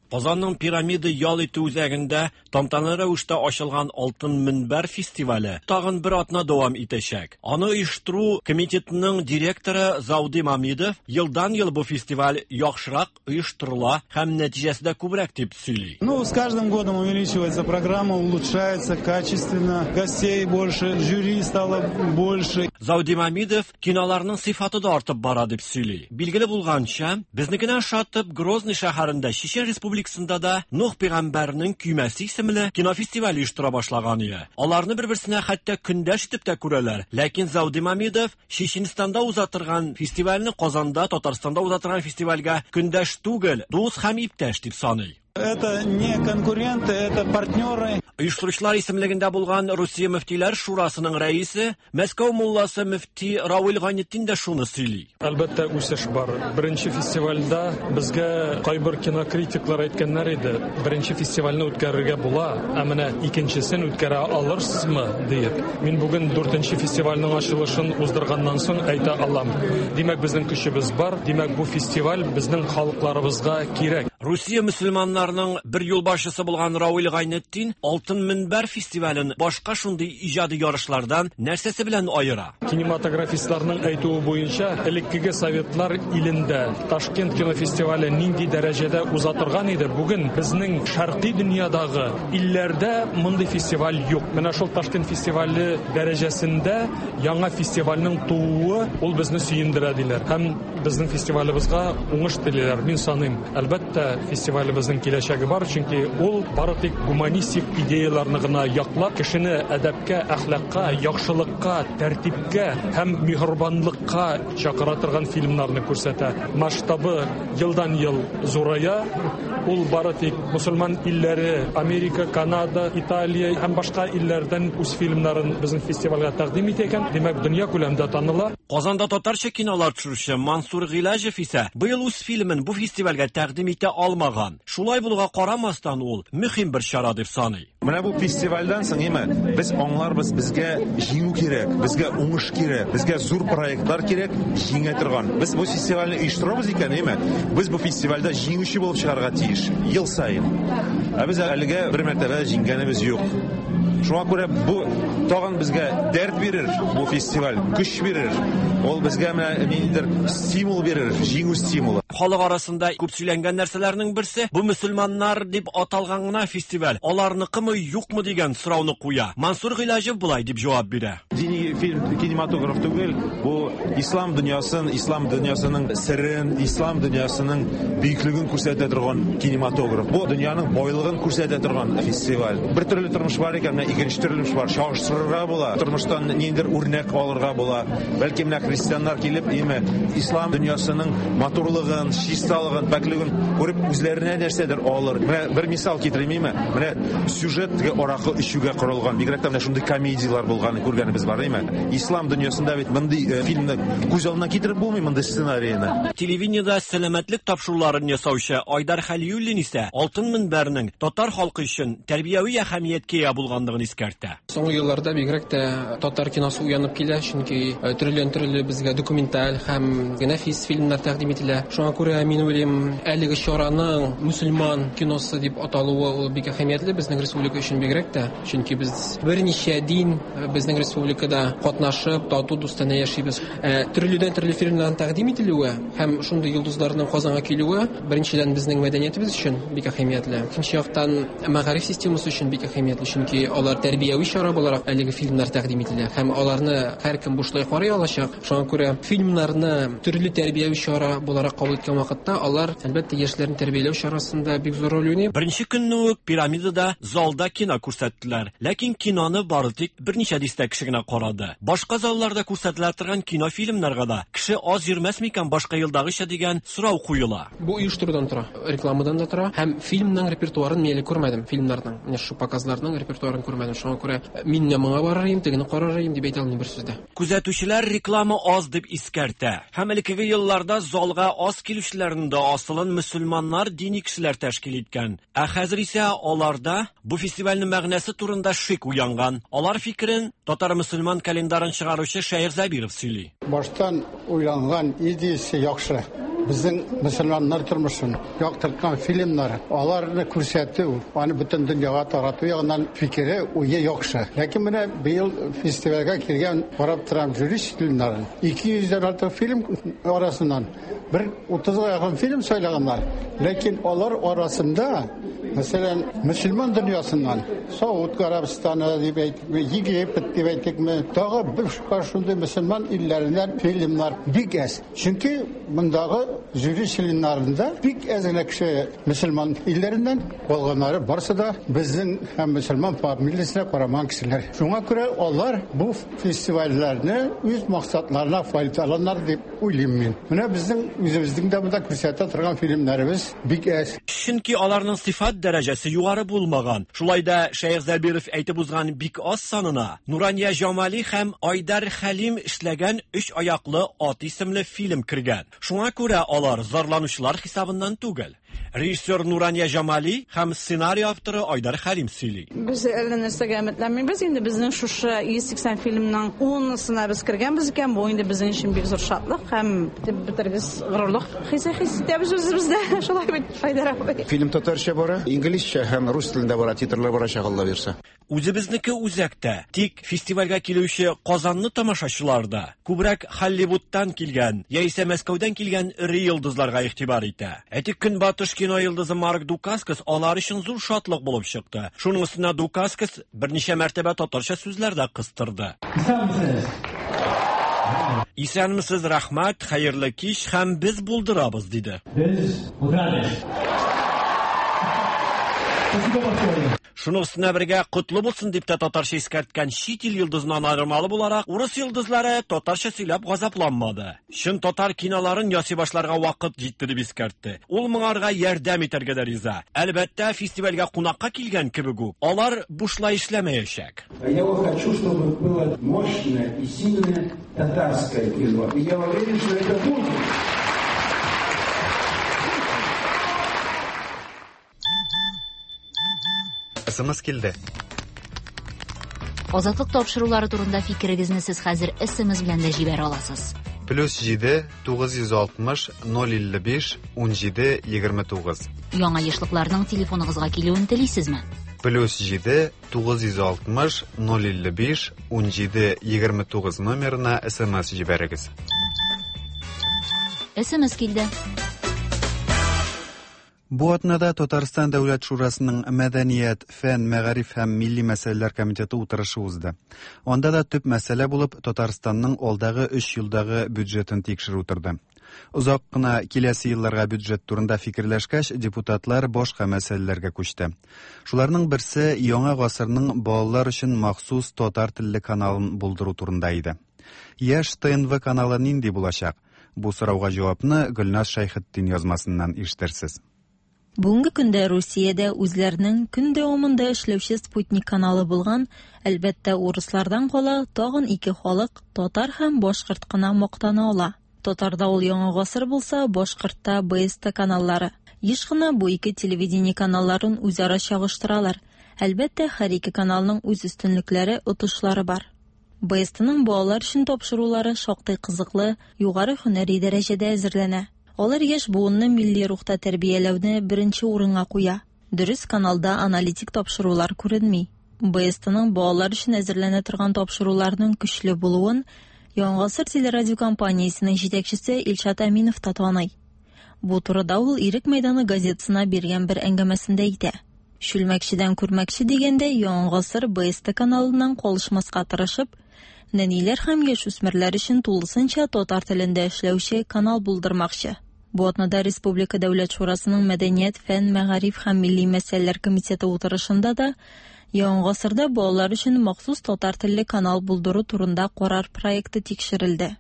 Казанның Пирамида ял итү үзәгендә тантаналы рәвештә ачылган Алтын мөнбәр фестивале тагын бер атна дәвам итәчәк. Аны оештыру комитетының директоры Зауди Мамидов елдан-ел бу фестиваль яхшырак оештырыла һәм нәтиҗәсе дә күбрәк дип сөйли. Ну, с каждым годом увеличивается программа, улучшается качественно, гостей больше, жюри стало больше. Зауди Мамидов киноларның сыйфаты да артып бара дип сөйли. Билгеле булганча, безнекенә ошатып Грозный шәһәрендә Чечен Республикасында да Нух пәйгамбәрнең көймәсе исемле кинофестиваль оештыра башлаган иде. Аларны бер-берсенә хәтта көндәш итеп тә күрәләр. Ләкин Зауди Мамидов Чеченстанда уза торган фестивальне Казанда, Татарстанда уза торган фестивальгә көндәш түгел, дус һәм иптәш дип саный. Это не конкуренты, это партнеры. Оештыручылар исемлегендә булган Русия мөфтиләр шурасының рәисе, Мәскәү мулласы мөфти Равил Гайнетдин дә шуны сөйли. Әлбәттә, үсеш бар. Беренче фестивальдә безгә кайбер кинокритиклар әйткәннәр иде, беренче фестивальне үткәрергә була, ә менә икенчесен үткәрә алырсызмы, диеп. Мин бүген дүртенче фестивальнең ачылышын уздырганнан соң әйтә алам. Димәк, безнең көчебез бар, димәк, бу фестиваль безнең халыкларыбызга кирәк. Русия мөселманнарының бер юлбашчысы булган Равил Гайнетдин Алтын мөнбәр фестивален башка шундый иҗади ярышлардан нәрсәсе белән аера? Кинематографистларның әйтүе буенча, элеккеге советлар илендә Ташкент кинофестивале нинди дәрәҗәдә уза торган иде, бүген безнең шәркый дөньядагы илләрдә мондый фестиваль юк. Менә шул Ташкент фестивале дәрәҗәсендә яңа фестивальнең тууы ул безне сөендерә, диләр. Һәм безнең фестивалебезгә уңыш телиләр. Мин саныйм, әлбәттә, фестивалебезнең киләчәге бар, чөнки ул бары тик гуманистик идеяларны гына яклап, кешене әдәпкә, әхлакка, яхшылыкка, тәртипкә һәм миһербанлыкка чакыра торган фильмнарны күрсәтә. Масштабы елдан-ел зурая. Ул бары тик мусульман илләре, Америка, Канада, Италия һәм башка илләрдән үз фильмнарын безнең фестивальгә тәкъдим итә икән, димәк, дөнья күләмдә таныла. Казанда татарча кинолар төшерүче Мансур Гыйләҗев исә быел үз фильмын бу фестивальгә тәкъдим итә алмаган. Шулай булуга карамастан, ул мөһим бер чара дип саный. Менә бу фестивальдән соң, әйме, без аңларбыз, безгә җиңү кирәк, безгә уңыш кирәк, безгә зур проектлар кирәк, җиңә торган. Без бу фестивальне оештырабыз икән, әйме, без бу фестивальдә җиңүче булып чыгарга тиеш, ел саен. Ә без әлегә бер мәртәбә җиңгәнебез юк. Шуңа күрә бу тагын безгә дәрт бирер, бу фестиваль, көч бирер. Ул безгә менә ниндидер стимул бирер, җиңү стимулы. Халык арасында күп сөйләнгән нәрсәләрнең берсе, бу мөселманнар дип аталган гына фестиваль, аларныкымы, юкмы дигән сорауны куя. Мансур Гыйләҗев болай дип җавап бирә. Дини фильм кинематограф түгел, бу ислам дөньясын, ислам дөньясының серен, ислам дөньясының бөеклеген күрсәтә торган кинематограф. Бу дөньяның байлыгын күрсәтә торган фестиваль. Бер төрле тормыш бар икән, менә икенче төрле тормыш бар. Чагыштырырга була, тормыштан ниндидер үрнәк алырга була. Бәлки менә христианнар килеп, име, ислам дөньясының матурлыгын, чисталыгын, пакьлеген күреп үзләренә нәрсәдер алыр. Менә бер мисал китерим, име? Менә сюжет теге аракы эчүгә корылган. Бигрәк тә менә шундый комедияләр булганын күргәнебез бар, име? Ислам дөньясында бит мондый фильмны күз алдына китереп булмый, мондый сценарийны. Телевидениедә сәламәтлек тапшыруларын ясаучы Айдар Хәлиуллин исә Алтын мөнбәрнең татар халкы өчен тәрбияви әһәмияткә ия булганлыгын искәртә. Соңгы елларда бигрәк тә татар киносы уянып килә, чөнки төрледән-төрле безгә документаль һәм нәфис фильмнар тәкъдим ителә. Шуңа күрә мин уйлыйм, әлеге чараның мөселман киносы дип аталуы ул бик әһәмиятле безнең республика өчен бигрәк тә, чөнки без берничә дин безнең республикада катнашып, тату дустанә яшибез. Төрледән-төрле фильмнарның тәкъдим ителүе һәм шундый йолдызларның Казанга килүе беренчедән безнең мәдәниятебез өчен бик әһәмиятле. Икенче яктан мәгариф системасы өчен бик әһәмиятле, чөнки алар тәрбияви чара буларак әлеге фильмнар тәкъдим ителә һәм аларны һәркем бушлай карый алачак. Шуңа күрә фильмнарны төрле тәрбияви чара буларак кабул иткән вакытта алар, әлбәттә, яшьләрне тәрбияләү чарасында бик зур роль уйный. Беренче көнне үк Пирамидада залда кино күрсәттеләр. Ләкин киноны бары тик берничә дистә кеше генә карады. Башка залларда күрсәтелә торган кинофильмнарга да кеше аз йөрмәс микән башка елдагыча дигән сорау куела. Бу оештырудан тора, рекламадан да тора һәм фильмның репертуарын мин әле күрмәдем, фильмнарның, менә шушы показларның репертуарын күрмәдем. Шуңа күрә мин менә моңа барыр идем, тегене карар идем дип әйтә алмыйм бер сүздә. Күзәтүчеләр реклама аз дип искәртә. Һәм элеккеге елларда залга аз килүчеләрнең дә асылын мөселманнар, дини кешеләр тәшкил иткән. Ә хәзер исә аларда бу фестивальнең мәгънәсе турында шик уянган. Алар фикерен татар мөселман календарын чыгаручы Шәех Зәбиров сөйли. Баштан уйланган идеясе яхшы. Безнең мөселманнар тормышын яктырткан фильмнар, аларны күрсәтү, аны бөтен дөньяга тарату ягыннан фикере, уе яхшы. Ләкин менә быел фестивальгә килгән карап торам жюри членнарын. Ике йөздән артык фильм арасыннан бер утызга якын фильм сайлаганнар. Ләкин алар арасында, мәсәлән, мөселман дөньясыннан Сауд Гарәбстаны дип әйтикме, Египет дип әйтикме, тагы бер шундый мөселман илләреннән фильмнар бик әз. Чөнки мондагы жюри членнарында бик әз генә кеше мөселман илләреннән, калганнары барысы да безнең һәм мөселман фамилиясенә карамаган кешеләр. Шуңа күрә алар бу фестивальләрне үз максатларына файдаланар дип уйлыйм мин. Менә безнең үзебезнең дә монда күрсәтә торган фильмнарыбыз бик әз. Чөнки аларның сыйфат дәрәҗәсе югары булмаган. Шулай да Шәехзәбиров әйтеп узган бик аз санына Нурания Җамали һәм Айдар Хәлим эшләгән Өч аяклы ат исемле фильм кергән. Шуңа күрә алар зарланучылар хисабыннан түгел. Режиссер Нурания Җамали һәм сценарий авторы Айдар Хәлим сөйли. Без әллә нәрсәгә өметләнмибез. Инде безнең шушы 180 фильмның 10-ысына без кергәнбез икән, бу инде безнең өчен бик зур шатлык һәм бетергез горурлык хисе хис итәбез үзебездә. Шулай бит, Айдар абый. Фильм татарча бара, инглизчә һәм рус телендә бара, титрлар барачак, Алла бирса. Үзебезнеке үзәктә, тик фестивальгә килүче Казанлы тамашачылар да күбрәк Һолливудтан килгән яисә Мәскәүдән килгән эре йолдызларга игътибар итә. Әйтик, Көнбатыш кино йолдызы Марк Дукаскас алар өчен зур шатлык булып чыкты. Шуның өстенә Дукаскас берничә мәртәбә татарча сүзләр дә кыстырды. Исәнмесез! Исәнмесез, рәхмәт, хәерле кич һәм без булдырабыз, диде. Без булдырабыз! Спасибо большое! Шуның өстенә бергә котлы булсын дип тә татарча искәрткән чит ил йолдызыннан аермалы буларак, урыс йолдызлары татарча сөйләп газапланмады. Чын татар киноларын ясый башларга вакыт җитте дип искәртте. Ул моңарга ярдәм итәргә дә риза. Әлбәттә, фестивальгә кунакка килгән кебек үк, алар бушлай эшләмәячәк. Я вот хочу, чтобы было мощное и сильное татарское кино. И я уверен, что это будет. СМС килде. Азатлык тапшырулары турында фикерегезне сез хәзер СМС белән дә җибәрә аласыз. Плюс 7 960 055 17 29. Яңа ешлыкларның телефоныгызга килүен телисезме? Плюс 7 960 055 17 29 номерына СМС җибәрегез. СМС килде. Бу атнада Татарстан Дәүләт Шурасының Мәдәният, фән, мәгариф һәм милли мәсьәләләр комитеты утырышы узды. Анда да төп мәсьәлә булып Татарстанның алдагы өч елдагы бюджетын тикшерү торды. Озак кына киләсе елларга бюджет турында фикерләшкәч, депутатлар башка мәсьәләләргә күчте. Шуларның берсе яңа гасырның балалар өчен махсус татар телле каналын булдыру турында иде. Яшь ТНВ каналы нинди булачак? Бу сорауга җавапны Гөлназ Шәйхетдин язмасыннан ишетерсез. Бүгенге көндә Русиядә үзләренең көн дәвамында эшләүче спутник каналы булган, әлбәттә, урыслардан кала, тагын ике халык, татар һәм башкорт кына мактана ала. Татарда ул Яңа гасыр булса, башкортта БСТ каналлары. Еш кына бу ике телевидение каналларын үзара чагыштыралар. Әлбәттә, һәр ике каналның үз өстенлекләре, отышлары бар. БСТның балалар өчен тапшырулары шактый кызыклы, югары һөнәри дәрәҗәдә әзерләнә. Алар яшь буынны милли рухта тәрбияләүне беренче урынга куя. Дөрес, каналда аналитик тапшырулар күренми. БСТның балалар өчен әзерләнә торган тапшыруларының көчле булуын Яңа гасыр телерадиокомпаниясенең җитәкчесе Илшат Әминов та таный. Бу турыда ул Ирек мәйданы газетасына биргән бер әңгәмәсендә әйтә. Чүлмәкчедән күрмәкче дигәндәй, Яңа гасыр БСТ каналыннан калышмаска тырышып, нәниләр һәм яшүсмерләр өчен тулысынча татар телендә эшләүче канал булдырмакчы. Бу атнада Республика Дәүләт Шурасының Мәдәният, фән, мәгариф һәм милли мәсьәләләр комитеты утырышында да Яңа гасырда балалар өчен махсус татар телле канал булдыру турында карар проекты тикшерелде.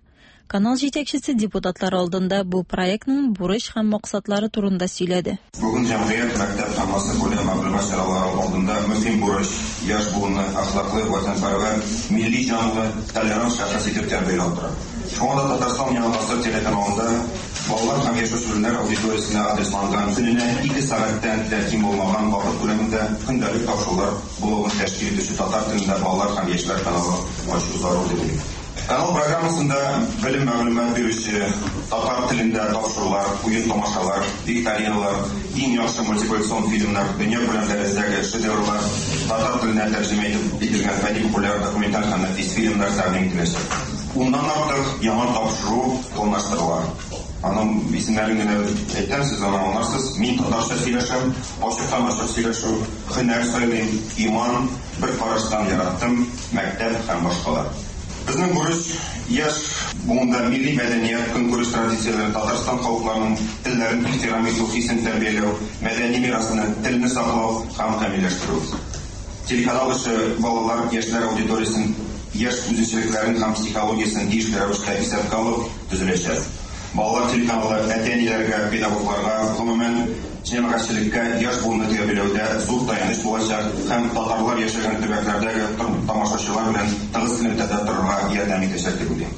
Канал җитәкчесе депутатлар алдында бу проектның бурыч һәм максатлары турында сөйләде. Бүген җәмгыять, мәктәп һәм массакүләм мәгълүмат чаралары алдында мөһим бурыч, яшь буынны әхлаклы, ватанпәрвәр, милли җанлы, толерант шәхес итеп тәрбияләү тора. Шуңа да Татарстан Яңа гасыр телеканалында балалар һәм яшүсмерләр аудиториясенә адресланган көненә ике сәгатьтән дә ким булмаган вакыт күләмендә көндәлек тапшырулар блогын тәшкил итүче татар телендә балалар һәм яшьләр каналы ачу зарур дип уйлыйм. Канал программасында белем-мәгълүмат бирүче татар телендә тапшырулар, уен-тамашалар, викториналар, иң яхшы мультипликацион фильмнар, дөньякүләм дәрәҗәдәге шедеврлар, татар теленә тәрҗемә итеп ителгән фәнни-популяр, документаль һәм нәфис фильмнар тәкъдим ителәчәк. Уннан артык яңа тапшыру планлаштырыла. Аның исемнәрен генә әйтәм, сез аны аңларсыз. Мин татарча сөйләшәм, ачыктан-ачык сөйләшү, һөнәр сайлыйм, иман, бер караштан яраттым, мәктәп һәм башкалар. Безнең бурыч яшь буында милли мәдәният, көнкүреш традицияләрен, Татарстан халыкларының телләрен ихтирам итү хисен тәрбияләү, мәдәни мирасны, телне саклау һәм камилләштерү. Телеканал эше балалар, яшьләр аудиториясен, яшь үзенчәлекләрен һәм психологиясен тиешле рәвештә исәпкә алып төзеләчәк. Балалар телеканалы әти-әниләргә, педагогларга, гомумән, җәмәгатьчелеккә яшь буынны тәрбияләүдә зур таяныч булачак һәм татарлар яшәгән төбәкләрдәге тамашачылар белән тыгыз элемтәдә торырга ярдәм итәчәк дип уйлыйм.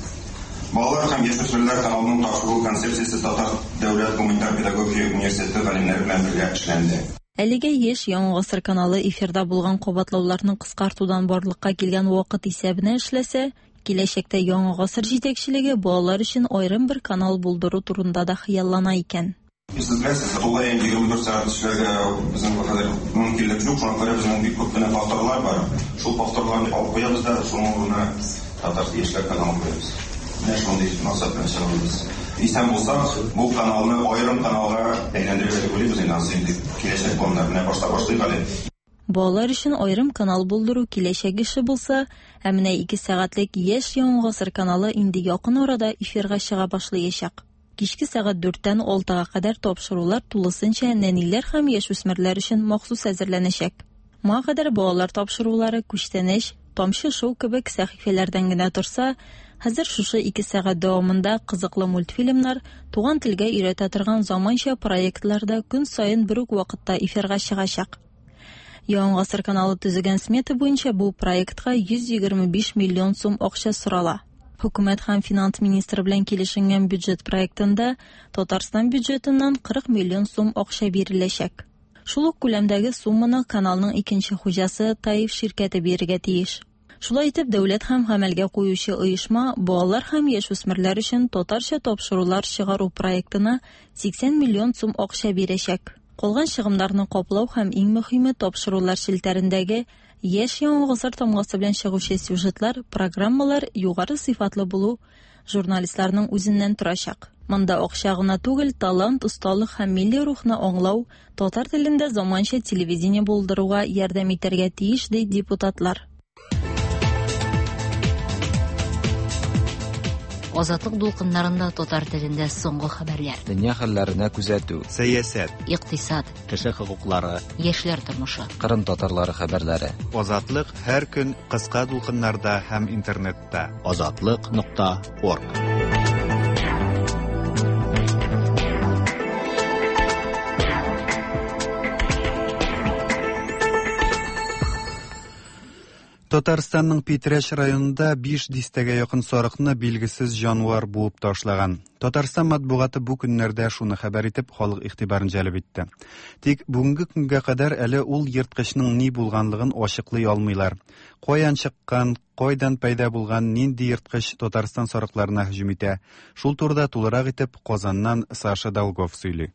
Балалар һәм яшүсмерләр каналының тапшыру концепциясе Татар дәүләт гуманитар педагогия университеты галимнәре белән бергә эшләнде. Әлегә еш Яңа гасыр каналы эфирда булган кабатлауларны кыскартудан барлыкка килгән вакыт исәбенә эшләсә, киләчәктә Яңа гасыр җитәкчелеге балалар өчен аерым бер канал булдыру турында да хыяллана икән. Сез беләсез, тулаем 24 сәгать эшләргә безнең хәзер мөмкинлек юк, шуңа күрә безнең бик күп кенә повторлар бар. Шул повторларны алып куябыз да, шуның урынына татар яшьләр каналын куябыз. Менә шундый максат белән чыгабыз. Исән булсак, бу каналны аерым каналга әйләндерергә дип уйлыйбыз инде, анысы инде киләчәк планнар. Менә башта башлыйк әле. Балалар өчен аерым канал булдыру киләчәк эше булса, ә менә ике сәгатьлек Яшь Яңа гасыр каналы инде якын арада эфирга чыга башлыячак. Кичке сәгать дүрттән алтыга кадәр тапшырулар тулысынча нәниләр һәм яшүсмерләр өчен махсус әзерләнәчәк. Моңа кадәр балалар тапшырулары Күчтәнәч, Тамчы шоу кебек сәхифәләрдән генә торса, хәзер шушы ике сәгать дәвамында кызыклы мультфильмнар, туган телгә өйрәтә торган заманча проектлар да көн саен бер үк вакытта эфирга чыгачак. Яңа гасыр каналы төзегән смета буенча бу проектка 125 миллион сум акча сорала. Хөкүмәт һәм финанс министры белән килешенгән бюджет проектында Татарстан бюджетыннан 40 миллион сум акча биреләчәк. Шул ук күләмдәге сумманы каналның икенче хуҗасы Таиф ширкәте бирергә тиеш. Шулай итеп, дәүләт һәм гамәлгә куючы оешма балалар һәм яшүсмерләр өчен татарча тапшырулар чыгару проектына 80 миллион сум акча бирәчәк. Калган чыгымнарны каплау һәм иң мөһиме тапшырулар челтәрендәге яшь яңа гасыр тамгасы белән чыгучы сюжетлар, программалар югары сыйфатлы булу журналистларның үзеннән торачак. Монда акча гына түгел, талант, осталык һәм милли рухны аңлау, татар телендә заманча телевидение булдыруга ярдәм итәргә тиеш, ди депутатлар. Азатлык дулкыннарында татар телендә соңгы хәбәрләр. Дөнья хәлләренә күзәтү. Сәясәт. Икътисад. Кеше хокуклары. Яшьләр тормышы. Кырым татарлары хәбәрләре. Азатлык һәр көн кыска дулкыннарда һәм интернетта. Азатлык нокта орг. Татарстанның Питрәч районында 5 дистәгә якын сарыкны билгесез җанвар буып ташлаган. Татарстан матбугаты бу көннәрдә шуны хәбәр итеп, халык игътибарын җәлеп итте. Тик бүгенге көнгә кадәр әле ул ерткычның ни булганлыгын ачыклый алмыйлар. Каян чыккан, кайдан пәйда булган нинди ерткыч Татарстан сарыкларына һөҗүм итә? Шул турыда тулырак итеп Казаннан Саша Долгов сөйли.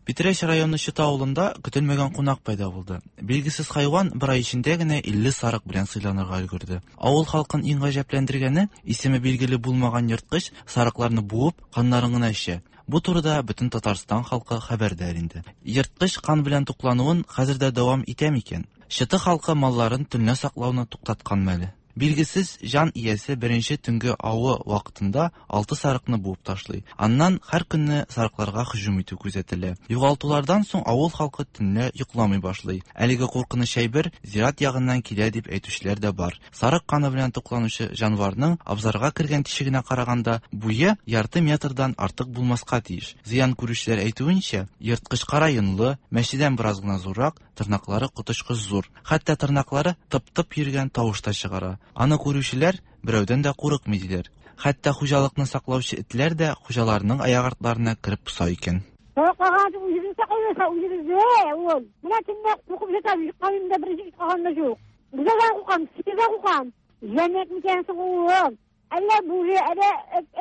Питрәч районы Чыта авылында көтелмәгән кунак пәйда булды. Билгесез хайван бер ай эчендә генә 50 сарык белән сыйланырга өлгерде. Авыл халкын иң гаҗәпләндергәне, исеме билгеле булмаган ерткыч сарыкларны буып, каннарын гына эчә. Бу турыда бөтен Татарстан халкы хәбәрдар инде. Ерткыч кан белән туклануын хәзер дә дәвам итә микән? Чыты халкы малларын төнлә саклауны туктаткан мәле. Билгесез җан иясе беренче төнге авы вакытында алты сарыкны буып ташлый. Аннан һәр көнне сарыкларга һөҗүм итү күзәтелә. Югалтулардан соң авыл халкы төнлә йокламый башлый. Әлеге куркыныч әйбер зират ягыннан килә дип әйтүчеләр дә бар. Сарык каны белән тукланучы җанварның абзарга кергән тишегенә караганда буе ярты метрдан артык булмаска тиеш. Зыян күрүчеләр әйтүенчә, ерткыч кара йонлы, мәчедән бераз гына зуррак, тырнаклары коточкыч зур. Хәтта тырнаклары тып-тып йөргән тавыш та чыгара. Аны күрүчеләр берәүдән дә курыкмый диләр. Хәтта хуҗалыкны саклаучы этләр дә хуҗаларының аяк артларына кереп поса икән. Саклаган үзебез саклыйбыз, үзебездә ул. Менә төнлә куркып ятабыз, йокламыйм да беренче калган да юк. Бездә куркам, сиздә куркам. Җәннәт микән соң ул? Әллә бүре, әллә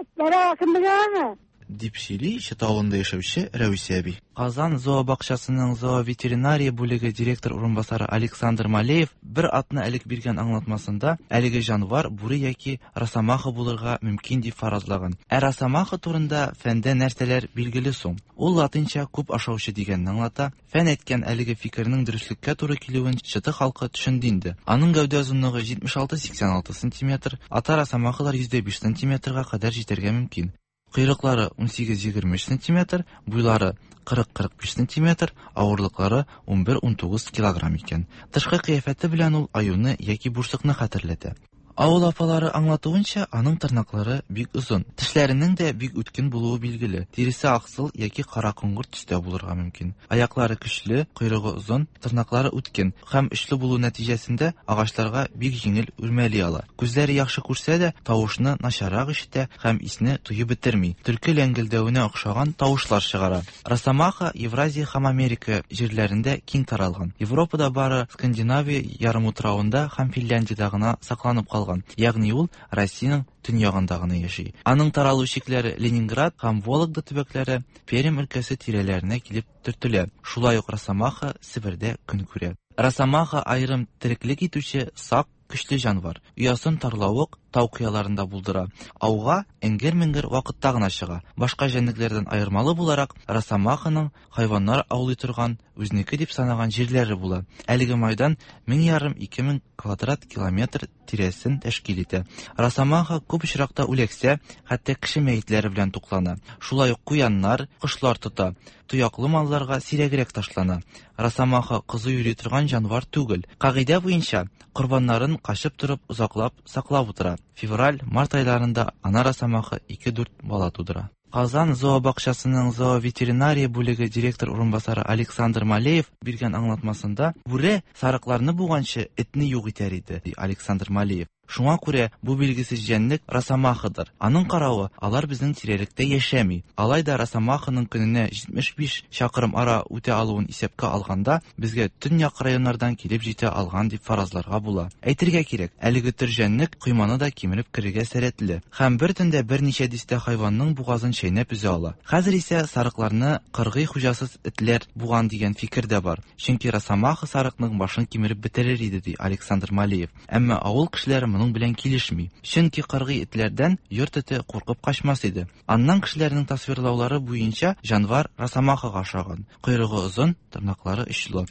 этләр, кем белә аны. Дип сөйли Чыты авылында яшәүче Рәвисә әби. Казан зообакчасының зооветеринария бүлеге директор урынбасары Александр Малеев бер атна элек биргән аңлатмасында әлеге җанвар бүре яки росомаха булырга мөмкин дип фаразлаган. Ә росомаха турында фәндә нәрсәләр билгеле соң? Ул латинча күп ашаучы дигәнне аңлата. Фән әйткән әлеге фикернең дөреслеккә туры килүен Чыты халкы төшенде инде. Аның гәүдә озынлыгы 76-86 сантиметр, ата росомахалар 105 сантиметрга кадәр җитәргә мөмкин. Койрыклары 18-23 сантиметр, буйлары 40-45 сантиметр, авырлыклары 11-19 килограмм икән. Тышкы кыяфәте белән ул аюны яки бурсыкны хәтерләтә. Авыл апалары аңлатуынча, аның тырнаклары бик озын. Тешләренең дә бик үткен булуы билгеле. Тиресе аксыл яки кара-коңгырт төстә булырга мөмкин. Аяклары көчле, койрыгы озын, тырнаклары үткен һәм очлы булу нәтиҗәсендә агачларга бик җиңел үрмәли ала. Күзләре яхшы күрсә дә, тавышны начаррак ишетә һәм исне тоеп бетерми. Төлке ләңгелдәвенә охшаган тавышлар чыгара. Росомаха Евразия һәм Америка җирләрендә киң таралган. Европада бары Скандинавия ярымутравында һәм Финляндиядә гына сакланып калган, ягъни ул Россиянең төньягында гына яши. Аның таралу чикләре Ленинград һәм Вологда төбәкләре, Пермь өлкәсе тирәләренә килеп төртелә. Шулай ук росомаха Себердә көн күрә. Росомаха аерым тереклек итүче сак, көчле җанвар. Оясын тарлавык, тау кыяларында булдыра. Ауга эңгер-меңгер вакытта гына чыга. Башка җәнлекләрдән аермалы буларак, росомаханың хайваннар аулый торган, үзенеке дип санаган җирләре була. Әлеге майдан 1500-2000 квадрат километр тирәсен тәшкил итә. Росомаха күп очракта үләксә, хәтта кеше мәетләре белән туклана. Шулай ук куяннар, кошлар тота. Тояклы малларга сирәгрәк ташлана. Росомаха кызу йөри торган җанвар түгел. Кагыйдә буенча, корбаннарын качып торып озаклап саклап утыра. Февраль, март айларында ана росомаха 2-4 бала тудыра. Казан зообакчасының зооветеринария бүлеге директор урынбасары Александр Малеев биргән аңлатмасында, бүре сарыкларны буганчы этне юк итәр иде, ди Александр Малеев. Шуңа күрә бу билгесез җәнлек росомахадыр. Аның каравы, алар безнең тирәлектә яшәми. Алай да росомаханың көненә 75 чакрым ара үтә алуын исәпкә алганда, безгә төньяк районнардан килеп җитә алган дип фаразларга була. Әйтергә кирәк, әлеге төр җәнлек койманы да кимереп керергә сәләтле. Һәм бер төндә берничә дистә хайванның бугазын чәйнәп өзә ала. Хәзер исә сарыкларны кыргый хуҗасыз этләр буган дигән фикер дә бар. Чөнки росомаха сарыкның башын кимереп бетерер иде, ди Александр Малеев. Әмма авыл кешеләре моның белән килешми. Чөнки кыргый этләрдән йорт эте куркып качмас иде. Аннан кешеләрнең тасвирлаулары буенча, җанвар росомахага ошаган. Койрыгы озын, тырнаклары очлы.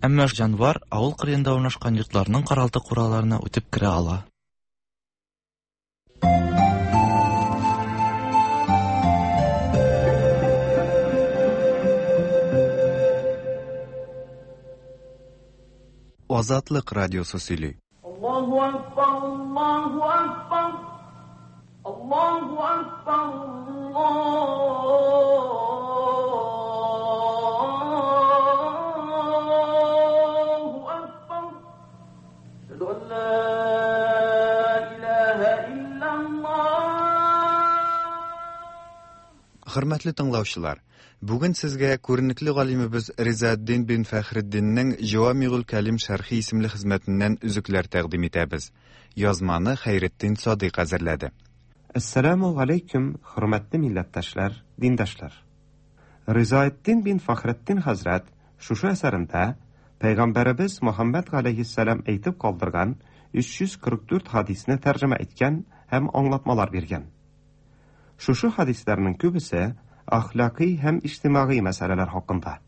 Әмма җанвар авыл кырыенда урнашкан йортларның каралты-кураларына үтеп керә ала. Азатлык радиосы сөйли. Аллаһу акбар, Аллаһу акбар, Аллаһу акбар, Аллаһу акбар. Әшһәду ан ла илаһа илляллаһ. Хөрмәтле тыңлаучылар, бүген сезгә күренекле галимебез Ризаэддин бин Фәхретдиннең Җавамигуль Кәлим шәрхи исемле хезмәтеннән өзекләр тәкъдим итәбез. Язманы Хәйретдин Садыйк әзерләде. Әссәламү галәйкүм, хөрмәтле милләттәшләр, диндәшләр! Ризаэддин бин Фәхретдин хәзрәт шушы әсәрендә Пәйгамбәребез Мөхәммәд галәйһиссәлам әйтеп калдырган 344 хәдисне тәрҗемә иткән һәм аңлатмалар биргән. Шушы хәдисләрнең күбесе әхлакый һәм иҗтимагый мәсьәләләр хакында.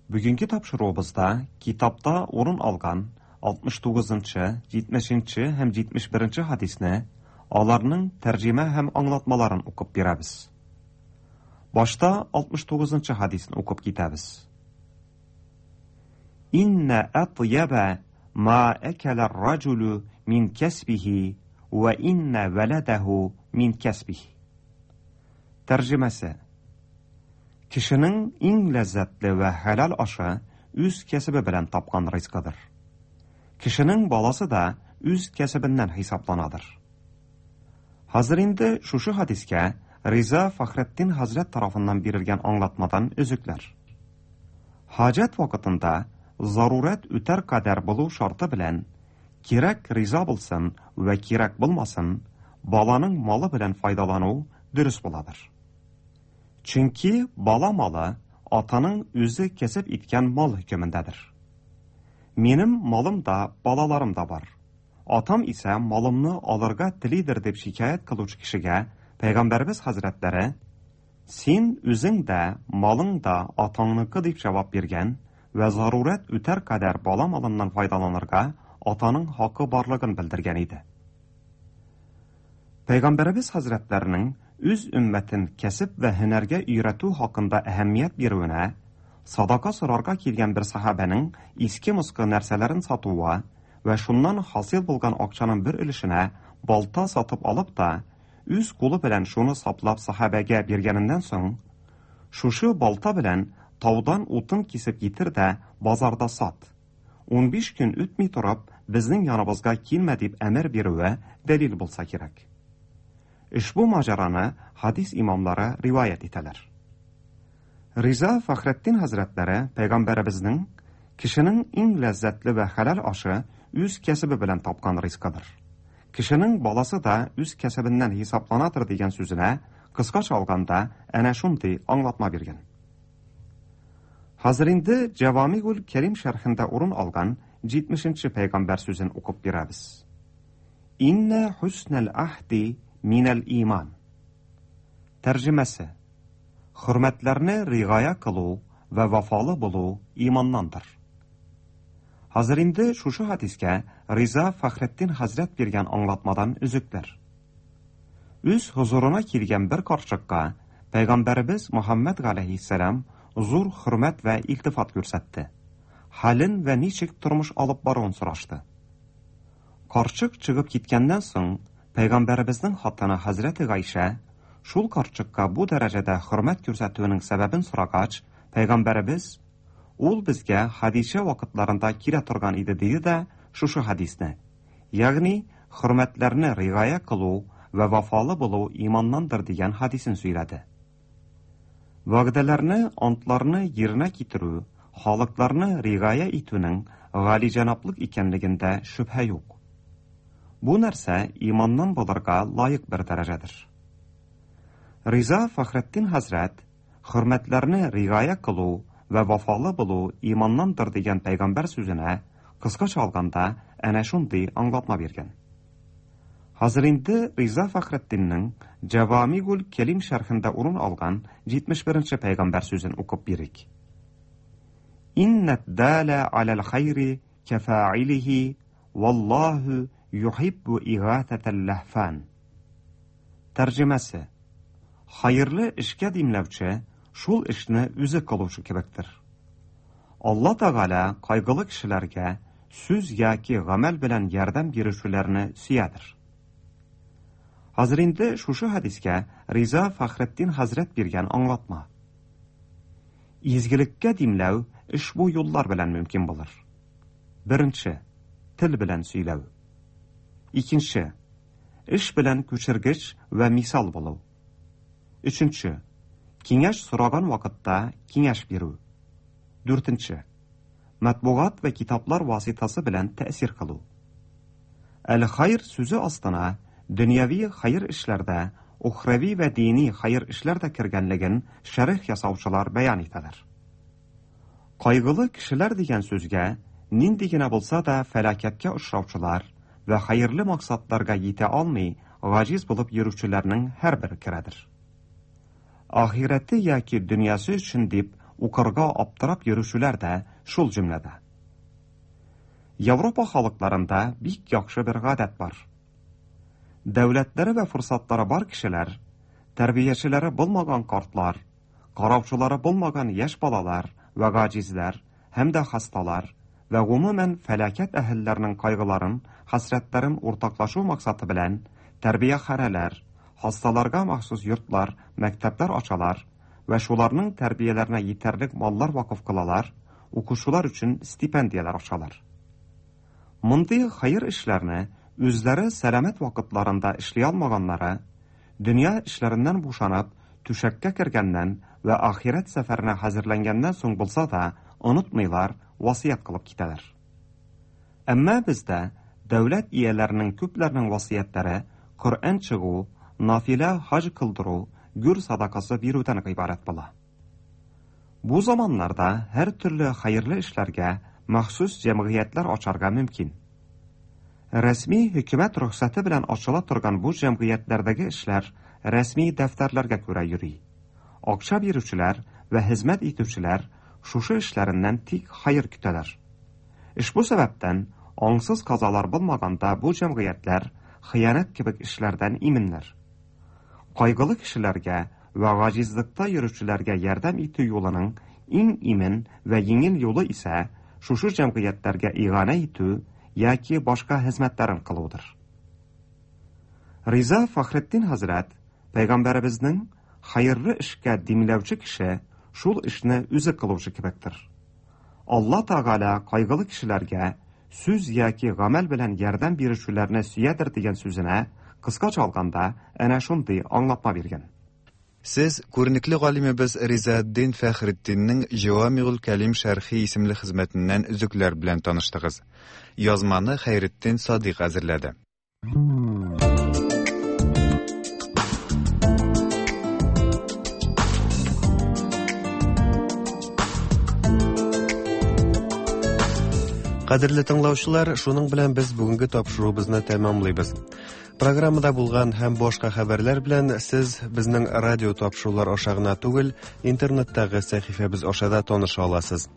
Бүгенге тапшыруыбызда китапта урын алган 69 нчы, 70 нче һәм 71 нче хәдисне, аларның тәрҗемә һәм аңлатмаларын укып бирәбез. Башта 69 нчы хәдисне укып китәбез. Инна атьяба ма әкәлә раҗулу мин кәсбихи вә инна вәләдәһу мин кәсбих. Тәрҗемәсе. Кешенең иң ләззәтле вә хәләл ашы үз кәсебе белән тапкан ризкыдыр. Кешенең баласы да үз кәсебеннән хисапланадыр. Хәзер инде шушы хәдискә Риза Фәхретдин хәзрәт тарафыннан бирелгән аңлатмадан өзекләр. Хаҗәт вакытында зарурәт үтәр кадәр булу шарты белән, кирәк риза булсын вә кирәк булмасын, баланың малы белән файдалану дөрес буладыр. Чөнки бала малы атаның үзе кәсеп иткән мал хөкемендәдер. Минем малым да, балаларым да бар. Атам исә малымны алырга телидер дип шикаять кылучы кешегә Пәйгамбәребез хәзрәтләре Син үзең дә, малың да атаңныкы дип җавап биргән вә зарурәт үтәр кадәр бала малыннан файдаланырга атаның хакы барлыгын белдергән иде. Пәйгамбәребез хәзрәтләренең үз өммәтен кәсеп вә һөнәргә өйрәтү хакында әһәмият бирүенә, садака сорарга килгән бер сахабәнең иске-москы нәрсәләрен сатуы вә шуннан хасил булган акчаның бер өлешенә балта сатып алып та, үз кулы белән шуны саплап сахабәгә биргәненнән соң, шушы балта белән таудан утын кисеп китер дә базарда сат. 15 көн үтми торып, безнең яныбызга килмә дип әмер бирүе дәлил булса кирәк. Ошбу маҗараны хадис имамлары риваять итәләр. Риза Фәхретдин хәзрәтләре пәйгамбәребезнең кешенең иң ләззәтле вә хәләл ашы үз кәсебе белән тапкан ризкыдыр. Кешенең баласы да үз кәсебеннән хисапланадыр дигән сүзенә кыскача алганда әнә шундый аңлатма биргән. Хәзер инде Җавамигул Кәрим шәрхендә урын алган 70 нче пәйгамбәр сүзен укып бирәбез. Иннә хуснәл ахди минәл иман. Тәрҗемәсе. Хөрмәтләрне ригая кылу вә вафалы булу иманнандыр. Хәзер инде шушы хәдискә Риза Фәхретдин хәзрәт биргән аңлатмадан өзекләр. Үз хозурына килгән бер карчыкка пәйгамбәребез Мөхәммәд галәйһиссәлам зур хөрмәт вә илтифат күрсәтте. Хәлен вә ничек тормыш алып баруын сорашты. Карчык чыгып киткәннән соң, пәйгамбәребезнең хатыны хәзрәте Гайшә шул карчыкка бу дәрәҗәдә хөрмәт күрсәтүенең сәбәбен сорагач, пәйгамбәребез Ул безгә Хәдичә вакытларында килә торган иде диде дә шушы хәдисне, ягъни хөрмәтләрне ригая кылу вә вафалы булу иманнандыр дигән хәдисен сөйләде. Вәгъдәләрне, антларны йиренә китерү, халыкларны ригая итүнең галиҗәнаплык икәнлегендә шөбһә юк. Бу нәрсә иманнан булырга лаек бер дәрәҗәдер. Риза Фәхретдин хәзрәт Хөрмәтләрне ригая кылу вә вафалы булу иманнандыр дигән пәйгамбәр сүзенә, кыскача алганда, әнә шундый аңлатма биргән. Хәзер инде Риза Фәхретдиннең Җәвамигул Кәлим шәрхендә урын алган 71 нче пәйгамбәр сүзен укып бирик. Иннәд далә аләл хайри кәфаилихи валлаһу юхиббу игатәтәл ләһфан. Тәрҗемәсе. Хәерле эшкә димләүче шул эшне үзе кылучы кебектер. Алла Тәгалә кайгылы кешеләргә сүз яки гамәл белән ярдәм бирүчеләрне сөядер. Хәзер инде шушы хәдискә Риза Фәхретдин хәзрәт биргән аңлатма. Изгелеккә димләү ошбу юллар белән мөмкин булыр. Беренче, тел белән сөйләү. Икенче, Эш белән күчергеч вә мисал булу. Өченче, киңәш сораган вакытта киңәш бирү. Дүртенче, матбугат вә китаплар васитасы белән тәэсир кылу. Әл-хайр сүзе астына дөньяви хәер эшләр дә, ухрави вә дини хәер эшләр дә кергәнлеген шәрех ясаучылар бәян итәләр. Кайгылы кешеләр дигән сүзгә нинди генә булса да фәлакәткә очраучылар вә хәерле максатларга йитә алмый гаҗиз булып йөрүчеләрнең һәрбере керәдер. Ахирәте яки дөньясы өчен дип укырга аптырап йөрүчеләр дә шул җөмләдә. Европа халыкларында бик яхшы бер гадәт бар. Дәүләтләре вә форсатлары бар кешеләр, тәрбиячеләре булмаган картлар, караучылары булмаган яшь балалар вә гаҗизләр һәм дә хасталар вә гомумән фәлакәт әһелләренең кайгыларын, хәсрәтләрен уртаклашу максаты белән тәрбияханәләр, хасталарга махсус йортлар, мәктәпләр ачалар вә шуларның тәрбияләренә йитәрлек маллар вакыф кылалар, укучылар өчен стипендияләр ачалар. Мондый хәер эшләрне үзләре сәламәт вакытларында эшли алмаганнары, дөнья эшләреннән бушанып, түшәккә кергәннән вә ахирәт сәфәренә хәзерләнгәннән соң булса да, онытмыйлар, васыять кылып китәләр. Әмма бездә дәүләт ияләренең күпләренең васыятьләре Коръән чыгу, нафилә хаҗ кылдыру, гүр садакасы бирүдән гыйбарәт була. Бу заманнарда һәр төрле хәерле эшләргә махсус җәмгыятьләр ачарга мөмкин. Рәсми хөкүмәт рөхсәте белән ачыла торган бу җәмгыятьләрдәге эшләр рәсми дәфтәрләргә күрә йөри. Акча бирүчеләр вә хезмәт итүчеләр шушы эшләреннән тик хәер көтәләр. Ошбу сәбәптән аңсыз казалар булмаганда бу җәмгыятьләр хыянәт кебек эшләрдән иминнәр. Кайгылы кешеләргә вә гаҗизлыкта йөрүчеләргә ярдәм итү юлының иң имин вә җиңел юлы исә шушы җәмгыятьләргә иганә итү яки башка хезмәтләрен кылудыр. Риза Фахретдин хәзрәт пәйгамбәребезнең хәерле эшкә димләүче кеше шул эшне үзе кылучы кебектер. Алла Тәгалә кайгылы кешеләргә сүз яки гамәл белән ярдәм бирүчеләрне сөядер дигән сүзенә кыскача алганда әнә шундый аңлатма биргән. Сез күренекле галимебез Ризаэддин Фәхретдиннең Җавамигул Кәлим шәрхи исемле хезмәтеннән өзекләр белән таныштыгыз. Язманы Хәйретдин Садыйк әзерләде. Кадерле тыңлаучылар, шуның белән без бүгенге тапшыруыбызны тәмамлыйбыз. Программада булган һәм башка хәбәрләр белән сез безнең радио тапшырулар аша гына түгел, интернеттагы сәхифәбез аша да таныша аласыз.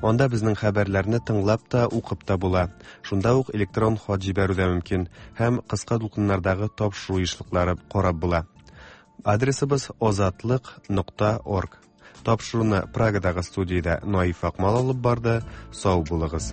Анда безнең хәбәрләрне тыңлап та, укып та була. Шунда ук электрон хат җибәрү дә мөмкин һәм кыска дулкыннардагы тапшыру ешлыклары карап була. Адресыбыз озатлык.орг. Тапшыруны Прагадагы студиядә Наиф Акмал алып барды. Сау булыгыз.